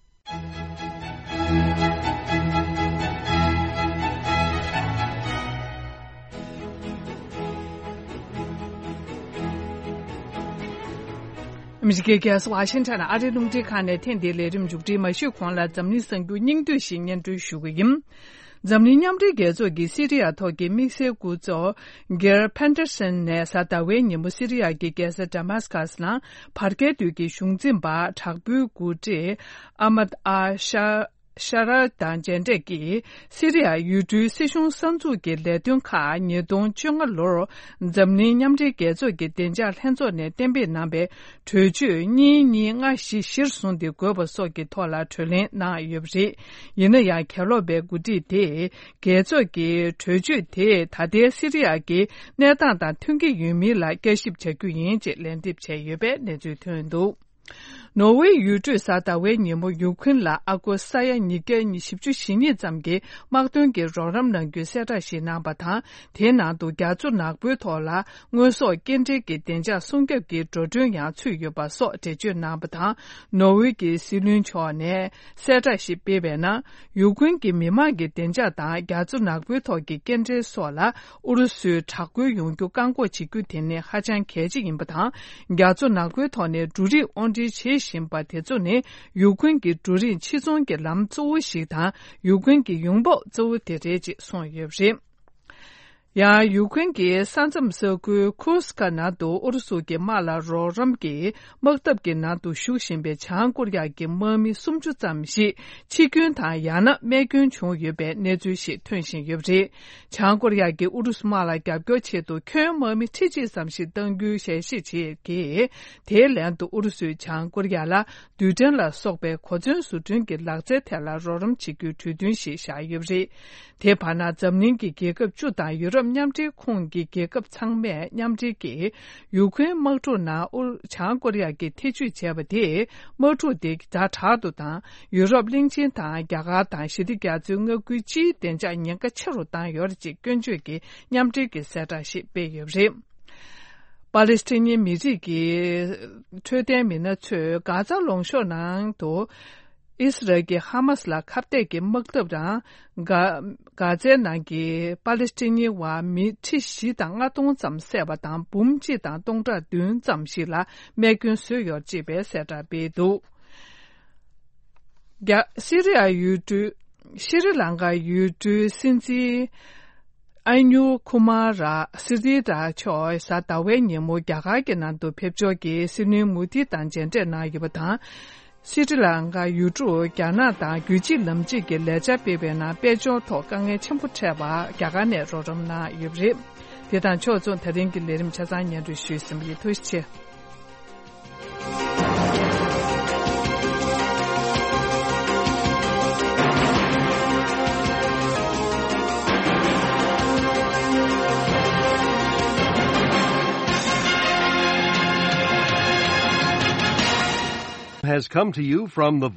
ཨ་མི་རི་ཀའི་རྒྱལ་ས་ཝ་ཤིང་ཊོན་ཨ་རིའི་རླུང་འཕྲིན་ཁང་ནས་ཐེངས་འདིའི་ལས་རིམ་མཇུག་སྒྲིལ་མ་ཞུས་གོང་ལ། འཛམ་གླིང་གསར་འགྱུར་སྙིང་བསྡུས་ཤིག་སྙན་སྒྲོན་ཞུ་གི་ཡིན། འཛམ་གླིང་མཉམ་འབྲེལ་རྒྱལ་ཚོགས་ཀྱི་སི་རི་ཡ་ཐོག་གི་དམིགས་བསལ་སྐུ་ཚབ་གེར་ཕན་ཏེར་སན་ནས་གཟའ་ཟླ་བའི་ཉིན་མོ་སི་རི་ཡ་གི་རྒྱལ་ས་ཌ་མཱ་སི་ཀ་སི་ནང་བར་བརྒལ་དུས་ཀྱི་གཞུང་འཛིན་པ་དྲག་པོའི་འགོ་ཁྲིད་ཨ་མད་ཨ་ཤ་ཤ་ར་དང་མཇལ་འཕྲད་ཀྱིས། སི་རི་ཡ་ཡུལ་གྲུའི་སྲིད་གཞུང་གསར་འཛུགས་ཀྱི་ལས་དོན་ཁག་ཉིས་སྟོང་བཅོ་ལྔ་ལོར་འཛམ་གླིང་མཉམ་འབྲེལ་རྒྱལ་ཚོགས་ཀྱི་བདེ་འཇགས་ལྷན་ཚོགས་ནས་གཏན་འབེབས་གནང་བའི་གྲོས་ཆོད་གཉིས་གཉིས་ལྔ་བཞི་གཞིར་བཟུང་སྟེ་དགོས་པ་སོགས་ཀྱི་ཐོག་ལ་གྲོས་གླེང་གནང་ཡོད་པ་རེད། ཡིན་ན་ཡང་། གྱེན་ལོག་པའི་འགོ་ཁྲིད་དེས་རྒྱལ་ཚོགས་ཀྱི་གྲོས་ཆོད་དེས་ད་ལྟའི་སི་རི་ཡ་གི་གནས་སྟངས་དང་མཐུན་གྱི་ཡོད་མིན་ལ་བསྐྱར་ཞིབ་བྱ་རྒྱུ་ཡིན་ཅེས་ལན་འདེབས་བྱས་ཡོད་པའི་གནས་ཚུལ་ཐོན་འདུག། ནོར་ཝེ་ཡུལ་གྲུས་གཟའ་ཟླ་བའི་ཉིན་མོ་ཡུ་ཁུན་ལ་ཨ་སྒོར་ས་ཡ་ཉིས་བརྒྱ་བཞི་བཅུ་ཞེ་གཉིས་ཙམ་གྱི་དམག་དོན་གྱི་རོགས་རམ་གནང་རྒྱུའི་གསལ་བསྒྲགས་ཤིག་གནང་བ་དང་། དེའི་ནང་དུ་རྒྱ་མཚོ་ནག་པོའི་ཐོག་ལ་དངོས་ཟོག་སྐྱེལ་འདྲེན་གྱི་བདེ་འཇགས་སྲུང་སྐྱོབ་ཀྱི་འགྲོ་གྲོན་ཡང་ཚུད་ཡོད་པ་སོགས་འགྲེལ་བརྗོད་གནང་བ་དང་། ནོར་ཝེ་གྱི་སྲིད་བློན་མཆོག་ནས་གསལ་བསྒྲགས་ཤིག་སྤེལ་བའི་ནང་། ཡུ་ཁུན་གྱི་མི་མང་གི་བདེ་འཇགས་དང་རྒྱ་མཚོ་ནག་པོའི་ཐོག་གི་སྐྱེལ་འདྲེན་སོགས་ལ་ཨུ་རུ་སུའི་དྲག་རྒོལ་ཡོང་རྒྱུ་བཀག་འགོག་བྱེད་རྒྱུ་དེ་ནི་ཧ་ཅང་གལ་ཆེ་ཡིན་པ་དང་། རྒྱ་མཚོ་ནག་པོའི་ཐོག་ནས་འབྲུ་རིགས་དབོར་འདྲེན་བྱེད་བཞིན་པ་དེ་ཚོ་ནི་ཡུ་ཁུན་གྱི་འབྲུ་རིགས་ཕྱིར་ཚོང་གི་ལམ་གཙོ་བོ་ཞིག་དང་། ཡུ་ཁུན་གྱི་ཡོང་འབབ་གཙོ་བོ་དེ་རེད་ཅེས་གསུངས་ཡོད་པ་རེད། ཡང་ཡུ་ཁུན་གྱི་ས་མཚམས་ས་ཁུལ་ཁུར་སི་ཀ་ནང་དུ་ཨུ་རུ་སུ་གྱི་དམག་ལ་རོགས་རམ་གྱི་དམག་འཐབ་ཀྱི་ནང་དུ་ཞུགས་བཞིན་པའི་བྱང་ཀོ་རི་ཡ་གྱི་དམག་མི་སུམ་ཅུ་ཙམ་ཞིག་འཆི་སྐྱོན་དང་ཡང་ན་རྨས་སྐྱོན་བྱུང་ཡོད་པའི་གནས་ཚུལ་ཞིག་ཐོན་བཞིན་ཡོད་པ་རེད། བྱང་ཀོ་རི་ཡ་གིས་ཨུ་རུ་སུ་དམག་ལ་རྒྱབ་སྐྱོར་ཆེད་དུ་ཁྱོན་དམག་མི་ཁྲི་གཅིག་ཙམ་ཞིག་གཏང་རྒྱུའི་ཞལ་བཞེས་བྱས་ཀྱིས། དེའི་ལན་དུ་ཨུ་རུ་སུས་བྱང་ཀོ་རི་ཡ་ལ་རྡུལ་ཕྲན་ལ་སོགས་པའི་གོ་མཚོན་བཟོ་སྐྲུན་གྱི་ལག་རྩལ་ཐད་ལ་རོགས་རམ་བྱེད་རྒྱུའི་གྲོས་མཐུན་ཞིག་བཞག་ཡོད་པ་རེད། དེའི་བར་ན་འཛམ་གླིང་གི་རྒྱལ་ཁབ་བཅུ་དང་ཡུ་རོབ་མཉམ་འབྲེལ་ཁོངས་ཀྱི་རྒྱལ་ཁབ་ཚང་མས་མཉམ་འབྲེལ་གྱིས་ཡུ་ཁུན་དམག་འཁྲུག་ནང་ཨུ་བྱང་ཀོ་རི་ཡ་གིས་ཐེ་བྱུས་བྱས་པ་དེས་དམག་འཁྲུག་དེ་ཛ་དྲག་ཏུ་དང་། ཡུ་རོབ་གླིང་ཆེན་དང་རྒྱ་གར་དང་ཞི་བདེ་རྒྱ་མཚོའི་མངའ་ཁུལ་སྤྱིའི་བདེ་འཇགས་ཉེན་ཁ་ཆེ་རུ་བཏང་ཡོད་རེད་ཅེས་སྐྱོན་བརྗོད་ཀྱི་མཉམ་འབྲེལ་གྱི་གསལ་བསྒྲགས་ཤིག་སྤེལ་ཡོད་པ་རེད། པ་ལེ་སི་ཐན་མི་རིགས་ཀྱི་འཕྲོད་བསྟེན་མི་སྣ་ཚོས་གྷ་ཛ་ལུང་གཤོང་ནང་དུ་ཨིས་རལ་གྱིས་ཧ་མ་སི་ལ་ཁ་གཏད་ཀྱི་དམག་འཐབ་དང་། གྷ་གྷ་ཛའི་ནང་གི་པ་ལེ་སི་ཐན་བ་མི་ཁྲི་བཞི་དང་ལྔ་སྟོང་ཙམ་བསད་པ་དང་འབུམ་གཅིག་དང་སྟོང་ཕྲག་བདུན་ཙམ་ཞིག་ལ་རྨས་སྐྱོན་བཟོས་ཡོད་ཅེས་པའི་གསལ་བསྒྲགས་སྤེལ་འདུག། རྒྱ་སི་རི་ཡ་ཡུལ་གྲུ་ཤི་རི་ལང་ཀ་ཡུལ་གྲུའི་སྲིད་འཛིན་ཨ་ཉུ་ཁུ་མ་ར་སི་རི་ར་མཆོག་གཟའ་ཟླ་བའི་ཉིན་མོ་རྒྱ་གར་གྱི་ནང་དུ་ཕེབས་འབྱོར་གྱིས་སྲིད་བློན་མོ་དི་དང་མཇལ་འཕྲད་གནང་ཡོད་པ་དང་། སི་རི་ལང་ཀ་ཡུལ་གྲུར་རྒྱ་ནག་དང་རྒྱུད་གཅིག་ལམ་གཅིག་གི་ལས་འཆར་སྤེལ་བའི་ནང་དཔལ་འབྱོར་ཐོག་དཀའ་ངལ་ཆེན་པོ་འཕྲད་པར་རྒྱ་གར་ནས་རོགས་རམ་གནང་ཡོད་པ་རེད། དེ་དང་ཕྱོགས་མཚུངས་ད་རིང་གི་ལས་རིམ་ཆ་ཚང་སྙན་སྒྲོན་ཞུས་ཟིན་པ་ཡིན། ཐུགས་རྗེ་ཆེ། has come to you from the